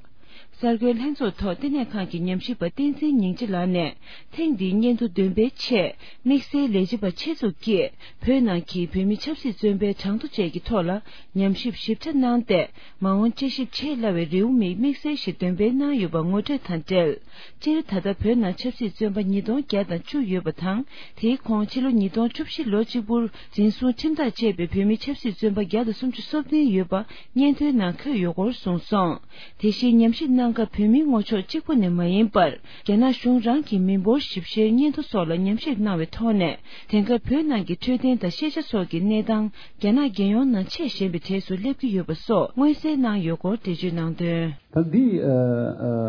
གསར་འགོད་ལྷན་ཚོགས་ཐོག་ལྟེ་གནས་ཁང་གི་ཉམས་ཞིབ་པ་བསྟན་འཛིན་སྙིང་རྗེ་ལགས་ནས། ཐེངས་འདིའི་སྙན་ཐོ་འདོན་སྤེལ་ཆེད་དམིགས་བསལ་ལས་བྱེད་པ་ཆེད་འཛུགས་ཀྱིས་བོད་ནང་གི་བོད་མི་ཆབ་སྲིད་བཙོན་པའི་གྲངས་ཐོ་བཅས་ཀྱི་ཐོག་ལ་ཉམས་ཞིབ་ཞིབ་ཕྲ་གནང་སྟེ། མ་འོངས་དཔྱད་ཞིབ་བྱེད་སླ་བའི་རེའུ་མིག་དམིགས་བསལ་ཞིག་འདོན་སྤེལ་གནང་ཡོད་པ་ངོ་སྤྲོད་དང་འབྲེལ། སྤྱིར་ད་ལྟ་བོད་ནང་ཆབ་སྲིད་བཙོན་པ་ཉིས་སྟོང་བརྒྱ་དང་བཅུ་ཡོད་པ་དང་། དེའི་ཁོངས་ཕྱི་ལོ་ཉིས་སྟོང་བཅུ་བཞི་ལོ་གཅིག་པུར་འཛིན་བཟུང་ཁྲིམས་ཐག་བཅད་པའི་བོད་མི་ཆབ་སྲིད་བཙོན་པ་བརྒྱ་དང་སུམ་ཅུ་སོ་བདུན་ཡོད་པ་སྙན་ཐོའི་ནང་འཁོད་ཡོད་སྐོར་གསུངས་སོང་། དེ་བཞིན་ཉམས་ཞིབ་གནང་སྐབས་བོད་མིའི་ངོ་ཕྱོགས་གཅིག་པུ་ནས་མ་ཡིན་པར། རྒྱ་ནག་གཞུང་རང་གི་མི་འབོར་ཞིབ་བཤེར་སྙན་ཐོ་སོགས་ལ་ཉམས་ཞིབ་གནང་བའི་ཐོག་ནས། དེང་སྐབས་བོད་ནང་གི་འཕྲོད་བསྟེན་དང་ཤེས་བྱ་སོགས་ཀྱི་གནས་སྟངས་རྒྱ་ནག་རྒྱལ་ཡོངས་ནང་ཆེས་ཞན་པའི་གྲས་སུ་སླེབས་ཀྱི་ཡོད་པ་སོགས་མངོན་གསལ་གནང་ཡོད་སྐོར་འགྲེལ་བརྗོད་གནང་དོན། ད་འདི་ཨ་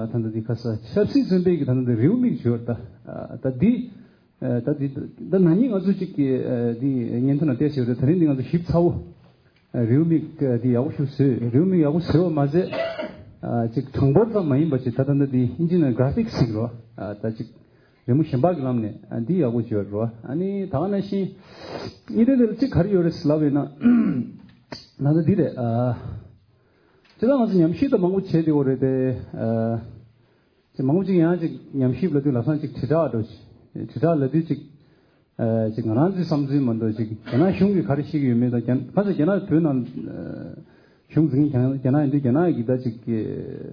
ཨ་ད་ལྟ་འདི་ཁ་ས་ཆབ་སྲིད་བཙོན་པའི་གི་ད་ལྟ་འདི་རེའུ་མིག་བརྗོད་ད། ཨ་ད་འདི་ཨ་ད་འདི་ད་ན་ནིང་ང་ཚོ་གཅིག་གི་ཨ་འདི་སྙན་ཐོ་ནང་བལྟས་ཡོད་རེད། ད་རིང་འདི་ང་ཚོ་ཞིབ་ཚགས་པོ། རེའུ་མིག་འདི་ཡག་པོ་ཞིག་བཟོས། རེའུ་མིག་ཡག་པོ་བཟོས་པ་མ་ཟད། ཨ་ཅིག་གྲངས་འབོར་ཙམ་མ་ཡིན་པ་ཅིག་ད་ལྟ་འདི་ཨིན་ཇི་ནང་གྷ་ར་ཕིག་ཟེར་གི་རེད་བ། ཨ་ད་ཅིག་རི་མོ་གཞན་པ་གི་ལམ་ནས་ཨ་འདི་ཡག་པོ་བྱས་པ་རེད་བ། ཨ་ནི་ད་ག་ནང་བཞིན་གཉིས་ལྡན་འདི་ལ་ཅིག་ག་རེ་ཡོད་རེད་ཟེར་ལབ་ཡོད་ན། ད་ལྟ་འདི་རེད། ཨ་ཅི་ད་ང་ཚོ་ཉམས་ཞིབ་ད་མང་པོ་བྱས་བསྡད་ཡོད་རེད་དེ། ཨ་ཅིག་མང་པོ་ཅིག་ཡང་ཅིག་ཉམས་ཞིབ་ལབ་དུས་ལམ་སང་ཅིག་དྲིལ་བསྒྲགས་འགྲོ། དྲིལ་བསྒྲགས་ལབ་དུས་ཅིག་ཨ་ཅིག་ང་རང་ཚོའི་བསམ་ཚུལ་མ་གཏོགས་ཅིག་རྒྱ་ནག་གཞུང་གིས་ག་རེ་བཤད་ཀྱི་ཡོད་མེད་དང་། རྒྱ་ཁ་ཚ་རྒྱ་ནག་བོད་ནང་ཨ་གཞུང་འཛིན་མཁན་རྒྱ་ནག་ཡིན་དུས་རྒྱ་ནག་གི་ད་ཅིག་གི་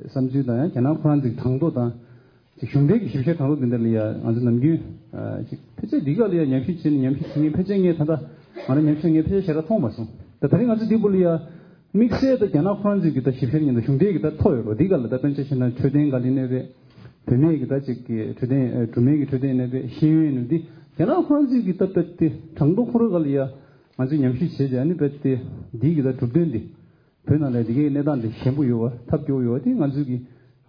བསམ་ཚུལ་དང་། ཡང་རྒྱ་ནག་ཁོ་རང་ཚོའི་གྲངས་ཐོ་དང་ཅིག་གཞུང་འབྲེལ་གྱི་ཞིབ་བཤེར་གྲངས་ཐོ་འདི་འདྲ་ལ་ཡ་ང་ཚོ་ནམ་རྒྱུན་ཨ་ཅིག་ཕལ་ཆེར་འདི་ག་ལ་ཡ་ཉམས་ཞིབ་བྱས་ནས་ཉམས་ཞིབ་བྱེད་མཁན་ཕལ་ཆེར་ངས་ད་ལྟ་ང་རང་ཉམས་ཞིབ་ངས་ཕལ་ཆེར་ཞེ་དྲག་མཐོང་མ་སོང་། ད་ད་རིང་ང་ཚོ་འདི་བུ་ལ་ཡ། དམིགས་བསལ་དུ་རྒྱ་ནག་ཁོ་རང་ཚོའི་གི་ད་ཞིབ་བཤེར་ཉིན་དུ་གཞུང་འབྲེལ་གྱི་ད་ཐོ་ཡོད་རོ། འདི་ག་ལ་ད་དཔེར་ན་ཆ་བཞག་ན་འཕྲོད་བསྟེན་ག་ལེ་ནས་རེད། བུད་མེད་ཀྱི་ད་ཅིག་གི་འཕྲོད་བསྟེན། ཨ་སྦྲུམ་མའི་གི་འཕྲོད་བསྟེན་ནས་རེད། ཤེས་ཡོན་ནས་འདི་རྒྱ་ནག་ཁོ་རང་ཚོའི་གི་ད་དཔེ་དེ་གྲངས་ཐོ་ཁོ་རང་ག་ལ་ཡ་ང་ཚོས་ཉམས་ཞིབ་བྱས་རྗེས། ཨ་ནི་དཔེ་དེ་འདི་གི་ད་གྲུབ་དོན་འདི་བོད་ནང་ལ་འདི་གའི་གནས་སྟངས་འདི་ཞན་པོ་ཡོད་བ། ཐབས་སྐྱོ་བོ་ཡོད་བ། དེ་ང་ཚོས་གི་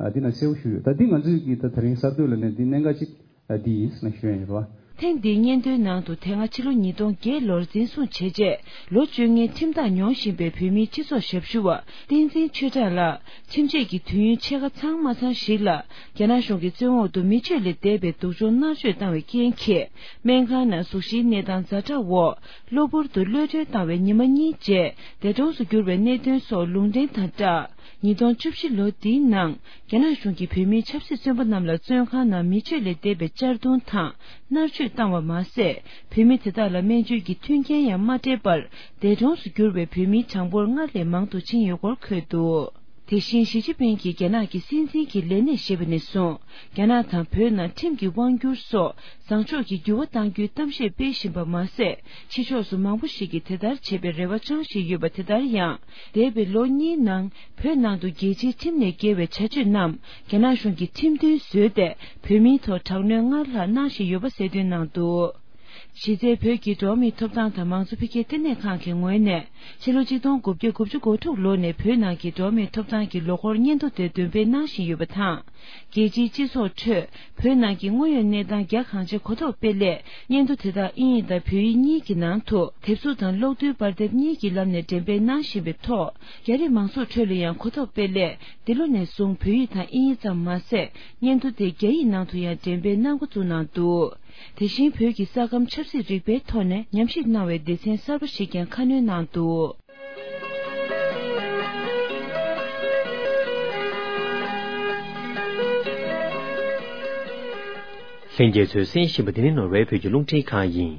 ཨ་འདི་ན་གསལ་པོ་ཞུ་ཡོད། ད་འདི་ང་ཚོས་གི་ད་ད་རིང་གསར་གཏོད་ལ་ནས་འདི་གནད་འགག་ཅིག་ཨ་འདི་ཡིན་ཟེར་ན་ཞུ་ཡ་ཡིན་རོ། ཐེངས་འདིའི་སྙན་ཐོའི་ནང་དུ་དེ་སྔ་ཕྱི་ལོ་ཉིས་སྟོང་བརྒྱད་ལོར་འཛིན་བཟུང་བྱས་རྗེས་ལོ་བཅོ་ལྔའི་ཁྲིམས་ཐག་ཉོ་བཞིན་པའི་བོད་མིའི་སྤྱི་ཚོགས་ཞབས་ཞུ་བ་བསྟན་འཛིན་ཆོས་གྲགས་ལགས། ཁྲིམས་ཆད་ཀྱི་དུས་ཡུན་ཕྱེད་ཀ་ཚང་མ་ཚང་ཞིག་ལ་རྒྱ་ནག་གཞུང་གི་བཙོན་འོག་ཏུ་མི་སྤྱོད་ལས་འདས་པའི་སྡུག་སྦྱོང་མནར་གཅོད་བཏང་བའི་རྐྱེན་གྱིས། སྨན་ཁང་ནང་གཟུགས་གཞིའི་གནས་སྟངས་ཛ་དྲག་འོག་གློ་བུར་དུ་གློད་གྲོལ་བཏང་བའི་ཉི་མ་གཉིས་རྗེས་བདེ་གྲོངས་སུ་གྱུར་བའི་གནད་དོན་སོགས་ལུང་འདྲེན་དང་སྦྲགས། ཉིས་སྟོང་བཅུ་བཞི་ལོ་འདིའི་ནང་རྒྱ་ནག་གཞུང་གིས་བོད་མིའི་ཆབ་སྲིད་བཙོན་པ་རྣམས་ལ་བཙོན་ཁང་ནང་མི་སྤྱོད་ལས་འདས་པའི་གཅར་རྡུང་དང་མནར་གཅོད་བཏང་བ་མ་ཟད། བོད་མི་དེ་དག་ལ་སྨན་བཅོས་ཀྱི་མཐུན་རྐྱེན་ཡང་མ་སྤྲད་པར་འདས་གྲོངས་སུ་གྱུར་བའི་བོད་མིའི་གྲངས་འབོར་སྔར་ལས་མང་དུ་ཕྱིན་ཡོད་སྐོར་འཁོད་འདུག་དེ་བཞིན་ཞི་ཅིན་ཕིང་གིས་རྒྱ་ནག་གི་སྲིད་འཛིན་གྱི་ལས་གནས་བཞེས་པ་ནས་བཟུང་རྒྱ་ནག་དང་བོད་ནང་ཁྲིམས་ཀྱི་དབང་སྒྱུར་སོགས་བཟང་ཕྱོགས་ཀྱི་འགྱུར་བ་གཏང་རྒྱུའི་གཏམ་བཤད་སྤེལ་བཞིན་པ་མ་ཟད། ཕྱི་ཕྱོགས་སུ་མང་པོ་ཞིག་གིས་དེ་ལྟར་བྱེད་པའི་རེ་བ་བཅང་བཞིན་ཡོད་པ་དེ་ལྟར་ཡང་། འདས་པའི་ལོ་གཉིས་ནང་བོད་ནང་དུ་རྒྱལ་སྤྱིའི་ཁྲིམས་ནས་འགལ་བའི་བྱ་སྤྱོད་རྣམས་རྒྱ་ནག་གཞུང་གིས་ཁྲིམས་མཐུན་བཟོས་ཏེ། བོད་མིའི་ཐོག་དྲག་གནོན་སྔར་ལྷག་གནང་བཞིན་ཡོད་པ་གསལ་སྟོན་གནང་འདུག་གཞི་རྩའི་བོད་ཀྱི་འགྲོ་བ་མིའི་ཐོབ་ཐང་དང་མང་གཙོ་འཕེལ་རྒྱས་ལྟེ་གནས་ཁང་གི་ངོས་ནས། ཕྱི་ལོ་ཆིག་སྟོང་དགུ་བརྒྱ་དགུ་བཅུ་གོ་དྲུག་ལོ་ནས་བོད་ནང་གི་འགྲོ་བ་མིའི་ཐོབ་ཐང་གི་ལོ་འཁོར་སྙན་ཐོ་དེ་འདོན་སྤེལ་གནང་བཞིན་ཡོད་པ་དང་། རྒྱལ་སྤྱིའི་སྤྱི་ཚོགས་ཁྲོད་བོད་ནང་གི་དངོས་ཡོད་གནས་སྟངས་རྒྱ་གང་ཆེ་གོ་རྟོགས་སྤེལ་སླད། སྙན་ཐོ་དེ་དག་དབྱིན་ཡིག་དང་བོད་ཡིག་གཉིས་ཀྱི་ནང་དུ་དེབ་གཟུགས་དང་གློག་རྡུལ་པར་དེབ་གཉིས་ཀྱི་ལམ་ནས་འགྲེམས་སྤེལ་གནང་བཞིན་པའི་ཐོག་རྒྱ་རིགས་མང་ཚོགས་ཁྲོད་ལ་ཡང་གོ་རྟོགས་སྤེལ་སླད། འདི་ལོ་ནས་བཟུང་བོད་ཡིག་དང་དབྱིན་ཡིག་ཙམ་མ་ཟད། སྙན་ཐོ་དེ་རྒྱ་ཡིག་ནང་དུ་ཡང་འགྲེམས་སྤེལ་གནང་འགོ་བཙུགས་གནང་འདུག་དེ་བཞིན་བོད་ཀྱི་ས་ཁམས་ཆབ་སྲིད་རིག་པའི་ཐོག་ནས་ཉམས་ཞིབ་གནང་བའི་སྡེ་ཚན་གསར་པ་ཞིག་ཀྱང་ཁ་སྣོན་གནང་འདུག་ལྷན་རྒྱས་ཚོས་གསན་བཞིན་པ་འདི་ནི་ནོར་ཝེ་བོད་ཀྱི་རླུང་འཕྲིན་ཁང་ཡིན།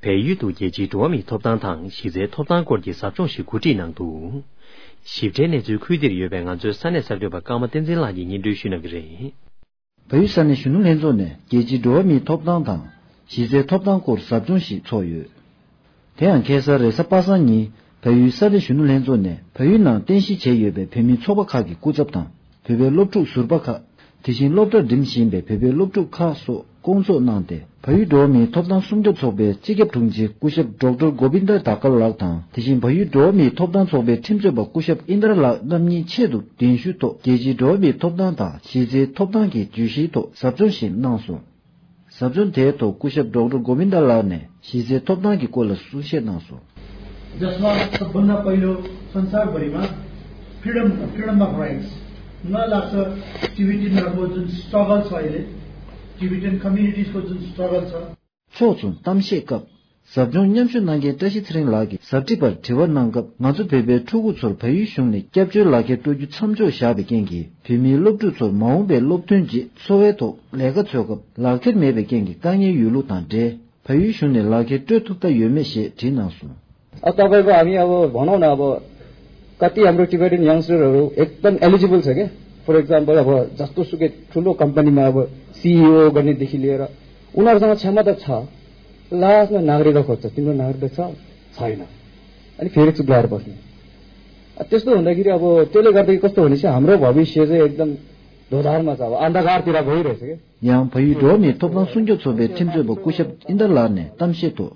བལ་ཡུལ་དུ་རྒྱལ་སྤྱིའི་འགྲོ་བ་མིའི་ཐོབ་ཐང་དང་གཞི་རྩའི་ཐོབ་ཐང་སྐོར་གྱི་ཟབ་སྦྱོང་ཞིག་གོ་སྒྲིག་གནང་འདུག་ཞིབ་ཕྲའི་གནས་ཚུལ་ཁུལ་འདིར་ཡོད་པའི་ང་ཚོའི་ས་གནས་གསར་འགོད་པ་ཀརྨ་བསྟན་འཛིན་ལགས་ཀྱིས་སྙན་སྒྲོན་ཞུ་གནང་གི་རེད། བལ་ཡུལ་ས་གནས་གཞོན་ནུ་ལྷན་ཚོགས་ནས་རྒྱལ་སྤྱིའི་འགྲོ་བ་མིའི་ཐོབ་ཐང་དང་གཞི་རྩའི་ཐོབ་ཐང་སྐོར་ཟབ་སྦྱོང་ཞིག་ཚོགས་ཡོད། དེ་ཡང་ཁ་སང་རེས་གཟའ་པ་སངས་ཉིན་བལ་ཡུལ་ས་གནས་གཞོན་ནུ་ལྷན་ཚོགས་ནས་བལ་ཡུལ་ནང་རྟེན་གཞི་བྱས་ཡོད་པའི་བོད་མིའི་ཚོགས་པ་ཁག་གི་སྐུ་ཚབ་དང་། བོད་པའི་སློབ་ཕྲུག་ཟུར་པ་ཁག་དེ་བཞིན་སློབ་གྲྭར་འགྲིམ་བཞིན་པའི་བོད་པའི་སློབ་ཕྲུག་ཁག་སོགས་བསྐོང་ཚོགས་གནང་སྟེ། བལ་ཡུལ་འགྲོ་བ་མིའི་ཐོབ་ཐང་སྲུང་སྐྱོབ་ཚོགས་པའི་སྤྱི་ཁྱབ་དྲུང་ཆེ་སྐུ་ཞབས་ཌོག་ཊར་གོ་བིན་དར་དྷ་ཀར་ལགས་དང་། དེ་བཞིན་བལ་ཡུལ་འགྲོ་བ་མིའི་ཐོབ་ཐང་ཚོགས་པའི་ཁྲིམས་རྩོད་པ་སྐུ་ཞབས་ཨིན་དར་ལགས་རྣམ་གཉིས་ཆེད་དུ་གདན་ཞུའི་ཐོག་རྒྱལ་སྤྱིའི་འགྲོ་བ་མིའི་ཐོབ་ཐང་དང་གཞི་རྩའི་ཐོབ་ཐང་གི་བརྗོད་གཞིའི་ཐོག་ཟབ་སྦྱོང་ཞིག་གནང་སོང་། ཟབ་སྦྱོང་དེའི་ཐོག་སྐུ་ཞབས་ཌོག་ཊར་གོ་བིན་དར་ལགས་ནས་གཞི་རྩའི་ཐོབ་ཐང་གི་སྐོར་ལ་གསུང་བཤད་གནང་སོང་། जसमा सबभन्दा पहिलो संसारभरिमा freedom, freedom of rights, मलाई लाग्छ टिबेटनहरूको जुन स्ट्रगल छ अहिले, टिबेटन कम्युनिटिजको जुन स्ट्रगल छ। ཕྱོགས་མཚུངས་གཏམ་བཤད་སྐབས། ཟབ་སྦྱོང་མཉམ་ཞུགས་གནང་མཁན་བཀྲ་ཤིས་ཚེ་རིང་ལགས་ཀྱིས་ཟབ་ཁྲིད་པར་དྲི་བ་གནང་སྐབས། ང་ཚོ་བོད་པའི་ཕྲུ་གུ་ཚོར་བལ་ཡུལ་གཞུང་ནས་སྐྱབས་བཅོལ་ལག་ཁྱེར་སྤྲོད་རྒྱུ་མཚམས་འཇོག་བཞག་པའི་རྐྱེན་གྱིས། བོད་མིའི་སློབ་ཕྲུག་ཚོར་མ་འོངས་པའི་སློབ་ཐོན་རྗེས་འཚོ་བའི་ཐོག་ལས་ཀ་འཚོལ་སྐབས་ལག་ཁྱེར་མེད་པའི་རྐྱེན་གྱིས་དཀའ་ངལ་ཡོད་ལུགས་དང་འབྲེལ། བལ་ཡུལ་གཞུང་ནས་ལག་ཁྱེར་སྤྲོད་ཐུབ་ཐབས་ཡོད་མེད་ཞེས་དྲིས་གནང་སོང་། अब तपाईँको हामी अब भनौँ न, अब कति हाम्रो टिबेटन यङ्स्टरहरू एकदम एलिजिबल छ क्या। फर इक्जाम्पल, अब जस्तो सुकै ठुलो कम्पनीमा अब सिइओ गर्नेदेखि लिएर उनीहरूसँग क्षमता छ, लास्टमा नागरिकता खोज्छ, तिम्रो नागरिकता छ, छैन, अनि फेरि चुप लागेर बस्ने। अब त्यस्तो हुँदाखेरि अब त्यसले गर्दाखेरि कस्तो भनेपछि हाम्रो भविष्य चाहिँ एकदम दोधारमा छ, अब अन्धकारतिर गइरहेछ क्या। ཡང་བལ་ཡུལ་འགྲོ་བ་མིའི་ཐོབ་ཐང་སྲུང་སྐྱོབ་ཚོགས་པའི་ཁྲིམས་རྩོད་པ་སྐུ་ཞབས་ཨིན་དར་ལགས་ནས་གཏམ་བཤད་ཐོག་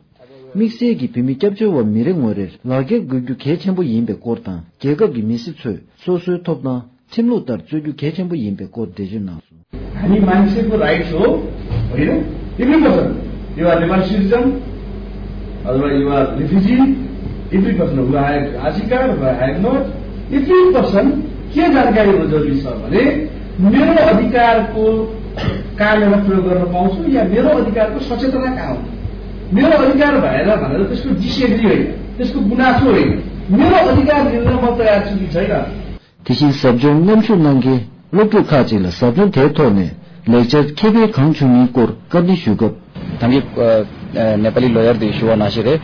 དམིགས་བསལ་གྱིས་བོད་མི་སྐྱབས་བཅོལ་བ་མི་རེ་ངོ་རེར་ལག་ཁྱེར་དགོས་རྒྱུ་གལ་ཆེན་པོ་ཡིན་པའི་སྐོར་དང་། རྒྱལ་ཁབ་ཀྱི་མི་སེར་ཚོས་སོ་སོའི་ཐོབ་ཐང་ཁྲིམས་ལུགས་ལྟར་རྩོད་རྒྱུ་གལ་ཆེན་པོ་ཡིན་པའི་སྐོར་འགྲེལ་བརྗོད་གནང་སོང་། हामी मान्छेको राइट्स हो, होइन? Every person, you are Nepali citizen, अथवा you are refugee, every person, who have अधिकार, who have not, every person, के जानकारी हुन जरुरी छ भने मेरो अधिकारको काममा प्रयोग गर्न पाउँछु या मेरो अधिकारको सचेतना कहाँ हो? मेरो अधिकार भएन भनेर त्यसको डिसएग्री होइन, त्यसको गुनासो होइन, मेरो अधिकार लिन म तयार छु कि छैन। དེ་བཞིན་ཟབ་སྦྱོང་མཉམ་ཞུགས་གནང་མཁན་སློབ་ཕྲུག་ཁག་ཅིག་ལ་ཟབ་སྦྱོང་དེའི་ཐོག་ནས་ལེགས་ཆར་ཁེ་ཕན་གང་བྱུང་མིན་སྐོར་བཀའ་འདྲི་ཞུས་སྐབས། ད་གིན་ཨ་ནེ་པ་ལི་ལོ་ཡར་དེ་ཞུ་བ་ནང་བཞིན་རེད།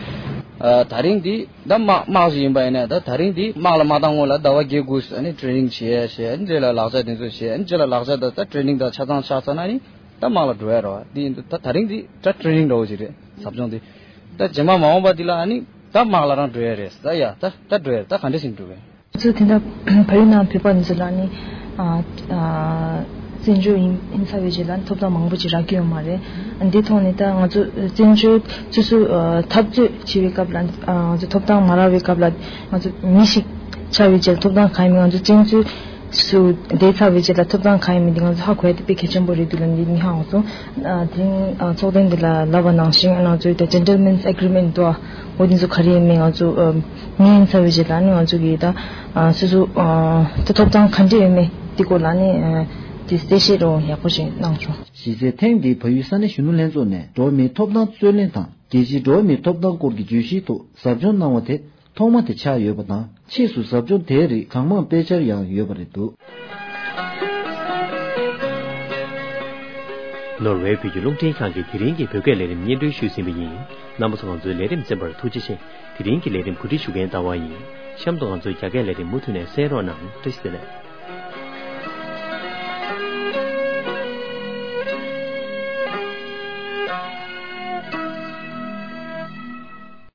ཨ་ད་རིང་འདི་ད་དམག་དམག་ཞིག་ཡིན་པ་ཡིན་ན། ད་ད་རིང་འདི་དམག་ལ་མ་བཏང་སྔོན་ལ་ཟླ་བ་བརྒྱད་དགུ་ཨ་ནི་ཊེ་རེ་ནིང་བྱས་བྱས། ཨ་ནི་རྗེས་ལ་ལག་ཆ་དེ་ཚོ་བྱས། ཨ་ནི་རྗེས་ལ་ལག་ཆ་དང་ད་ཊེ་རེ་ནིང་དང་ཆ་ཚང་ཆགས་ཚར་ན་ནི་ད་དམག་ལ་འགྲོ་ཡ་རེད་བ། འདི་ཡིན་དུས་ད་ད་རིང་འདི་ད་ཊེ་རེ་ནིང་འདྲ་བོ་ཞིག་རེད། ཟབ་སྦྱོང་འདི་ད་རྗེས་མ་མ་འོངས་པ་འདི་ལ་ཨ་ནི་ད་དམག་ལ་རང་འགྲོ་ཡ་རེད། ད་ཡ་ད་ད་འགྲོ་ཡ་རེད། ད་ག་འདྲ་ཞིག་འགྲོ་གི་རེད། ང་ཚོ་དེ་འདྲ་བལ་ཡུལ་ནང་བོད་པ་འདི་ཚོ་ལ་ནི་ཨ་ཨ་བཙན་བྱོལ་ཡིན་ཡིན་ཚར་བའི་རྗེས་ལ་ཐོབ་ཐང་མང་པོ་ཅིག་རག་གི་ཡོད་མ་རེད། འདི་ཐོག་ནས་ད་ང་ཚོ་བཙན་བྱོལ་སོ་སོ་ཨ་འཐབ་རྩོད་བྱེད་པའི་སྐབས་ལ་ཨ་ང་ཚོ་ཐོབ་ཐང་མ་རག་པའི་སྐབས་ལ་ང་ཚོ་མི་ཞིག་ཆགས་པའི་རྗེས་ལ་ཐོབ་ཐང་གང་ཡིན་མིན། ང་ཚོ་བཙན་བྱོལ་སུ་བསྡད་ཚར་བའི་རྗེས་ལ་ཐོབ་ཐང་གང་ཡིན་མིན་འདི་ང་ཚོ་ཧ་གོ་ཡ་དེ་དཔེ་གལ་ཆེན་པོ་རེད་འདུག་ལབ་འདི་ནི་ཧ་གོ་སོང་། ཨ་དེ་རིང་ཨ་ཚོགས་ཐེངས་འདི་ལ་ལབ་པ་ནང་བཞིན་ང་ཚོའི་ད་ཇེན་ཊལ་མེན་སི་ཨེ་གི་རི་མེན་ཊི་འདུག་ཨ། འོ་འདི་ཚོ་ག་རེ་ཡིན་མིན་ང་ཚོ་ཨ་ཉན་ཚར་བའི་རྗེས་ལ་ནི་ང་ཚོ་གིས་ད་ཨ་སོ་སོ་ཨ་ད་ཐོབ་ཐང་ག་འདྲ་ཡོད་མེད་འདི་སྐོར་ལ་ནི་ཨ་དེ་གསལ་བཤད་རོ་ཡག་པོ་ཞིག་གནང་བྱུང་། གཞི་རྩའི་ཐེངས་འདིའི་བལ་ཡུལ་ས་གནས་གཞོན་ནུ་ལྷན་ཚོགས་ནས་འགྲོ་བ་མིའི་ཐོབ་ཐང་རྩོད་ལེན་དང་རྒྱལ་སྤྱིའི་འགྲོ་བ་མིའི་ཐོབ་ཐང་སྐོར་གྱི་བརྗོད་གཞིའི་ཐོག་ཟབ་སྦྱོང་གནང་བ་དེ་ཐོག་མ་དེ་ཆགས་ཡོད་པ་དང་། ཕྱིས་སུ་ཟབ་སྦྱོང་དེའི་རིགས་གང་མང་སྤེལ་འཆར་ཡང་ཡོད་པ་རེད་འདུག་ནོར་ཝེ་བོད་ཀྱི་རླུང་འཕྲིན་ཁང་གིས་དེ་རིང་གི་བོད་སྐད་ལས་རིམ་སྙན་སྒྲོན་ཞུས་ཟིན་པ་ཡིན། རྣམ་པ་ཚོ་ང་ཚོའི་ལས་རིམ་གསན་པར་ཐུགས་རྗེ་ཆེ། དེ་རིང་གི་ལས་རིམ་གོ་སྒྲིག་ཞུ་མཁན་ལྟ་བ་ཡིན། གཤམ་དུ་ང་ཚོའི་རྒྱ་སྐད་ལས་རིམ་མུ་མཐུད་ནས་གསན་རོགས་གནང་། བཀྲ་ཤིས་བདེ་ལེགས།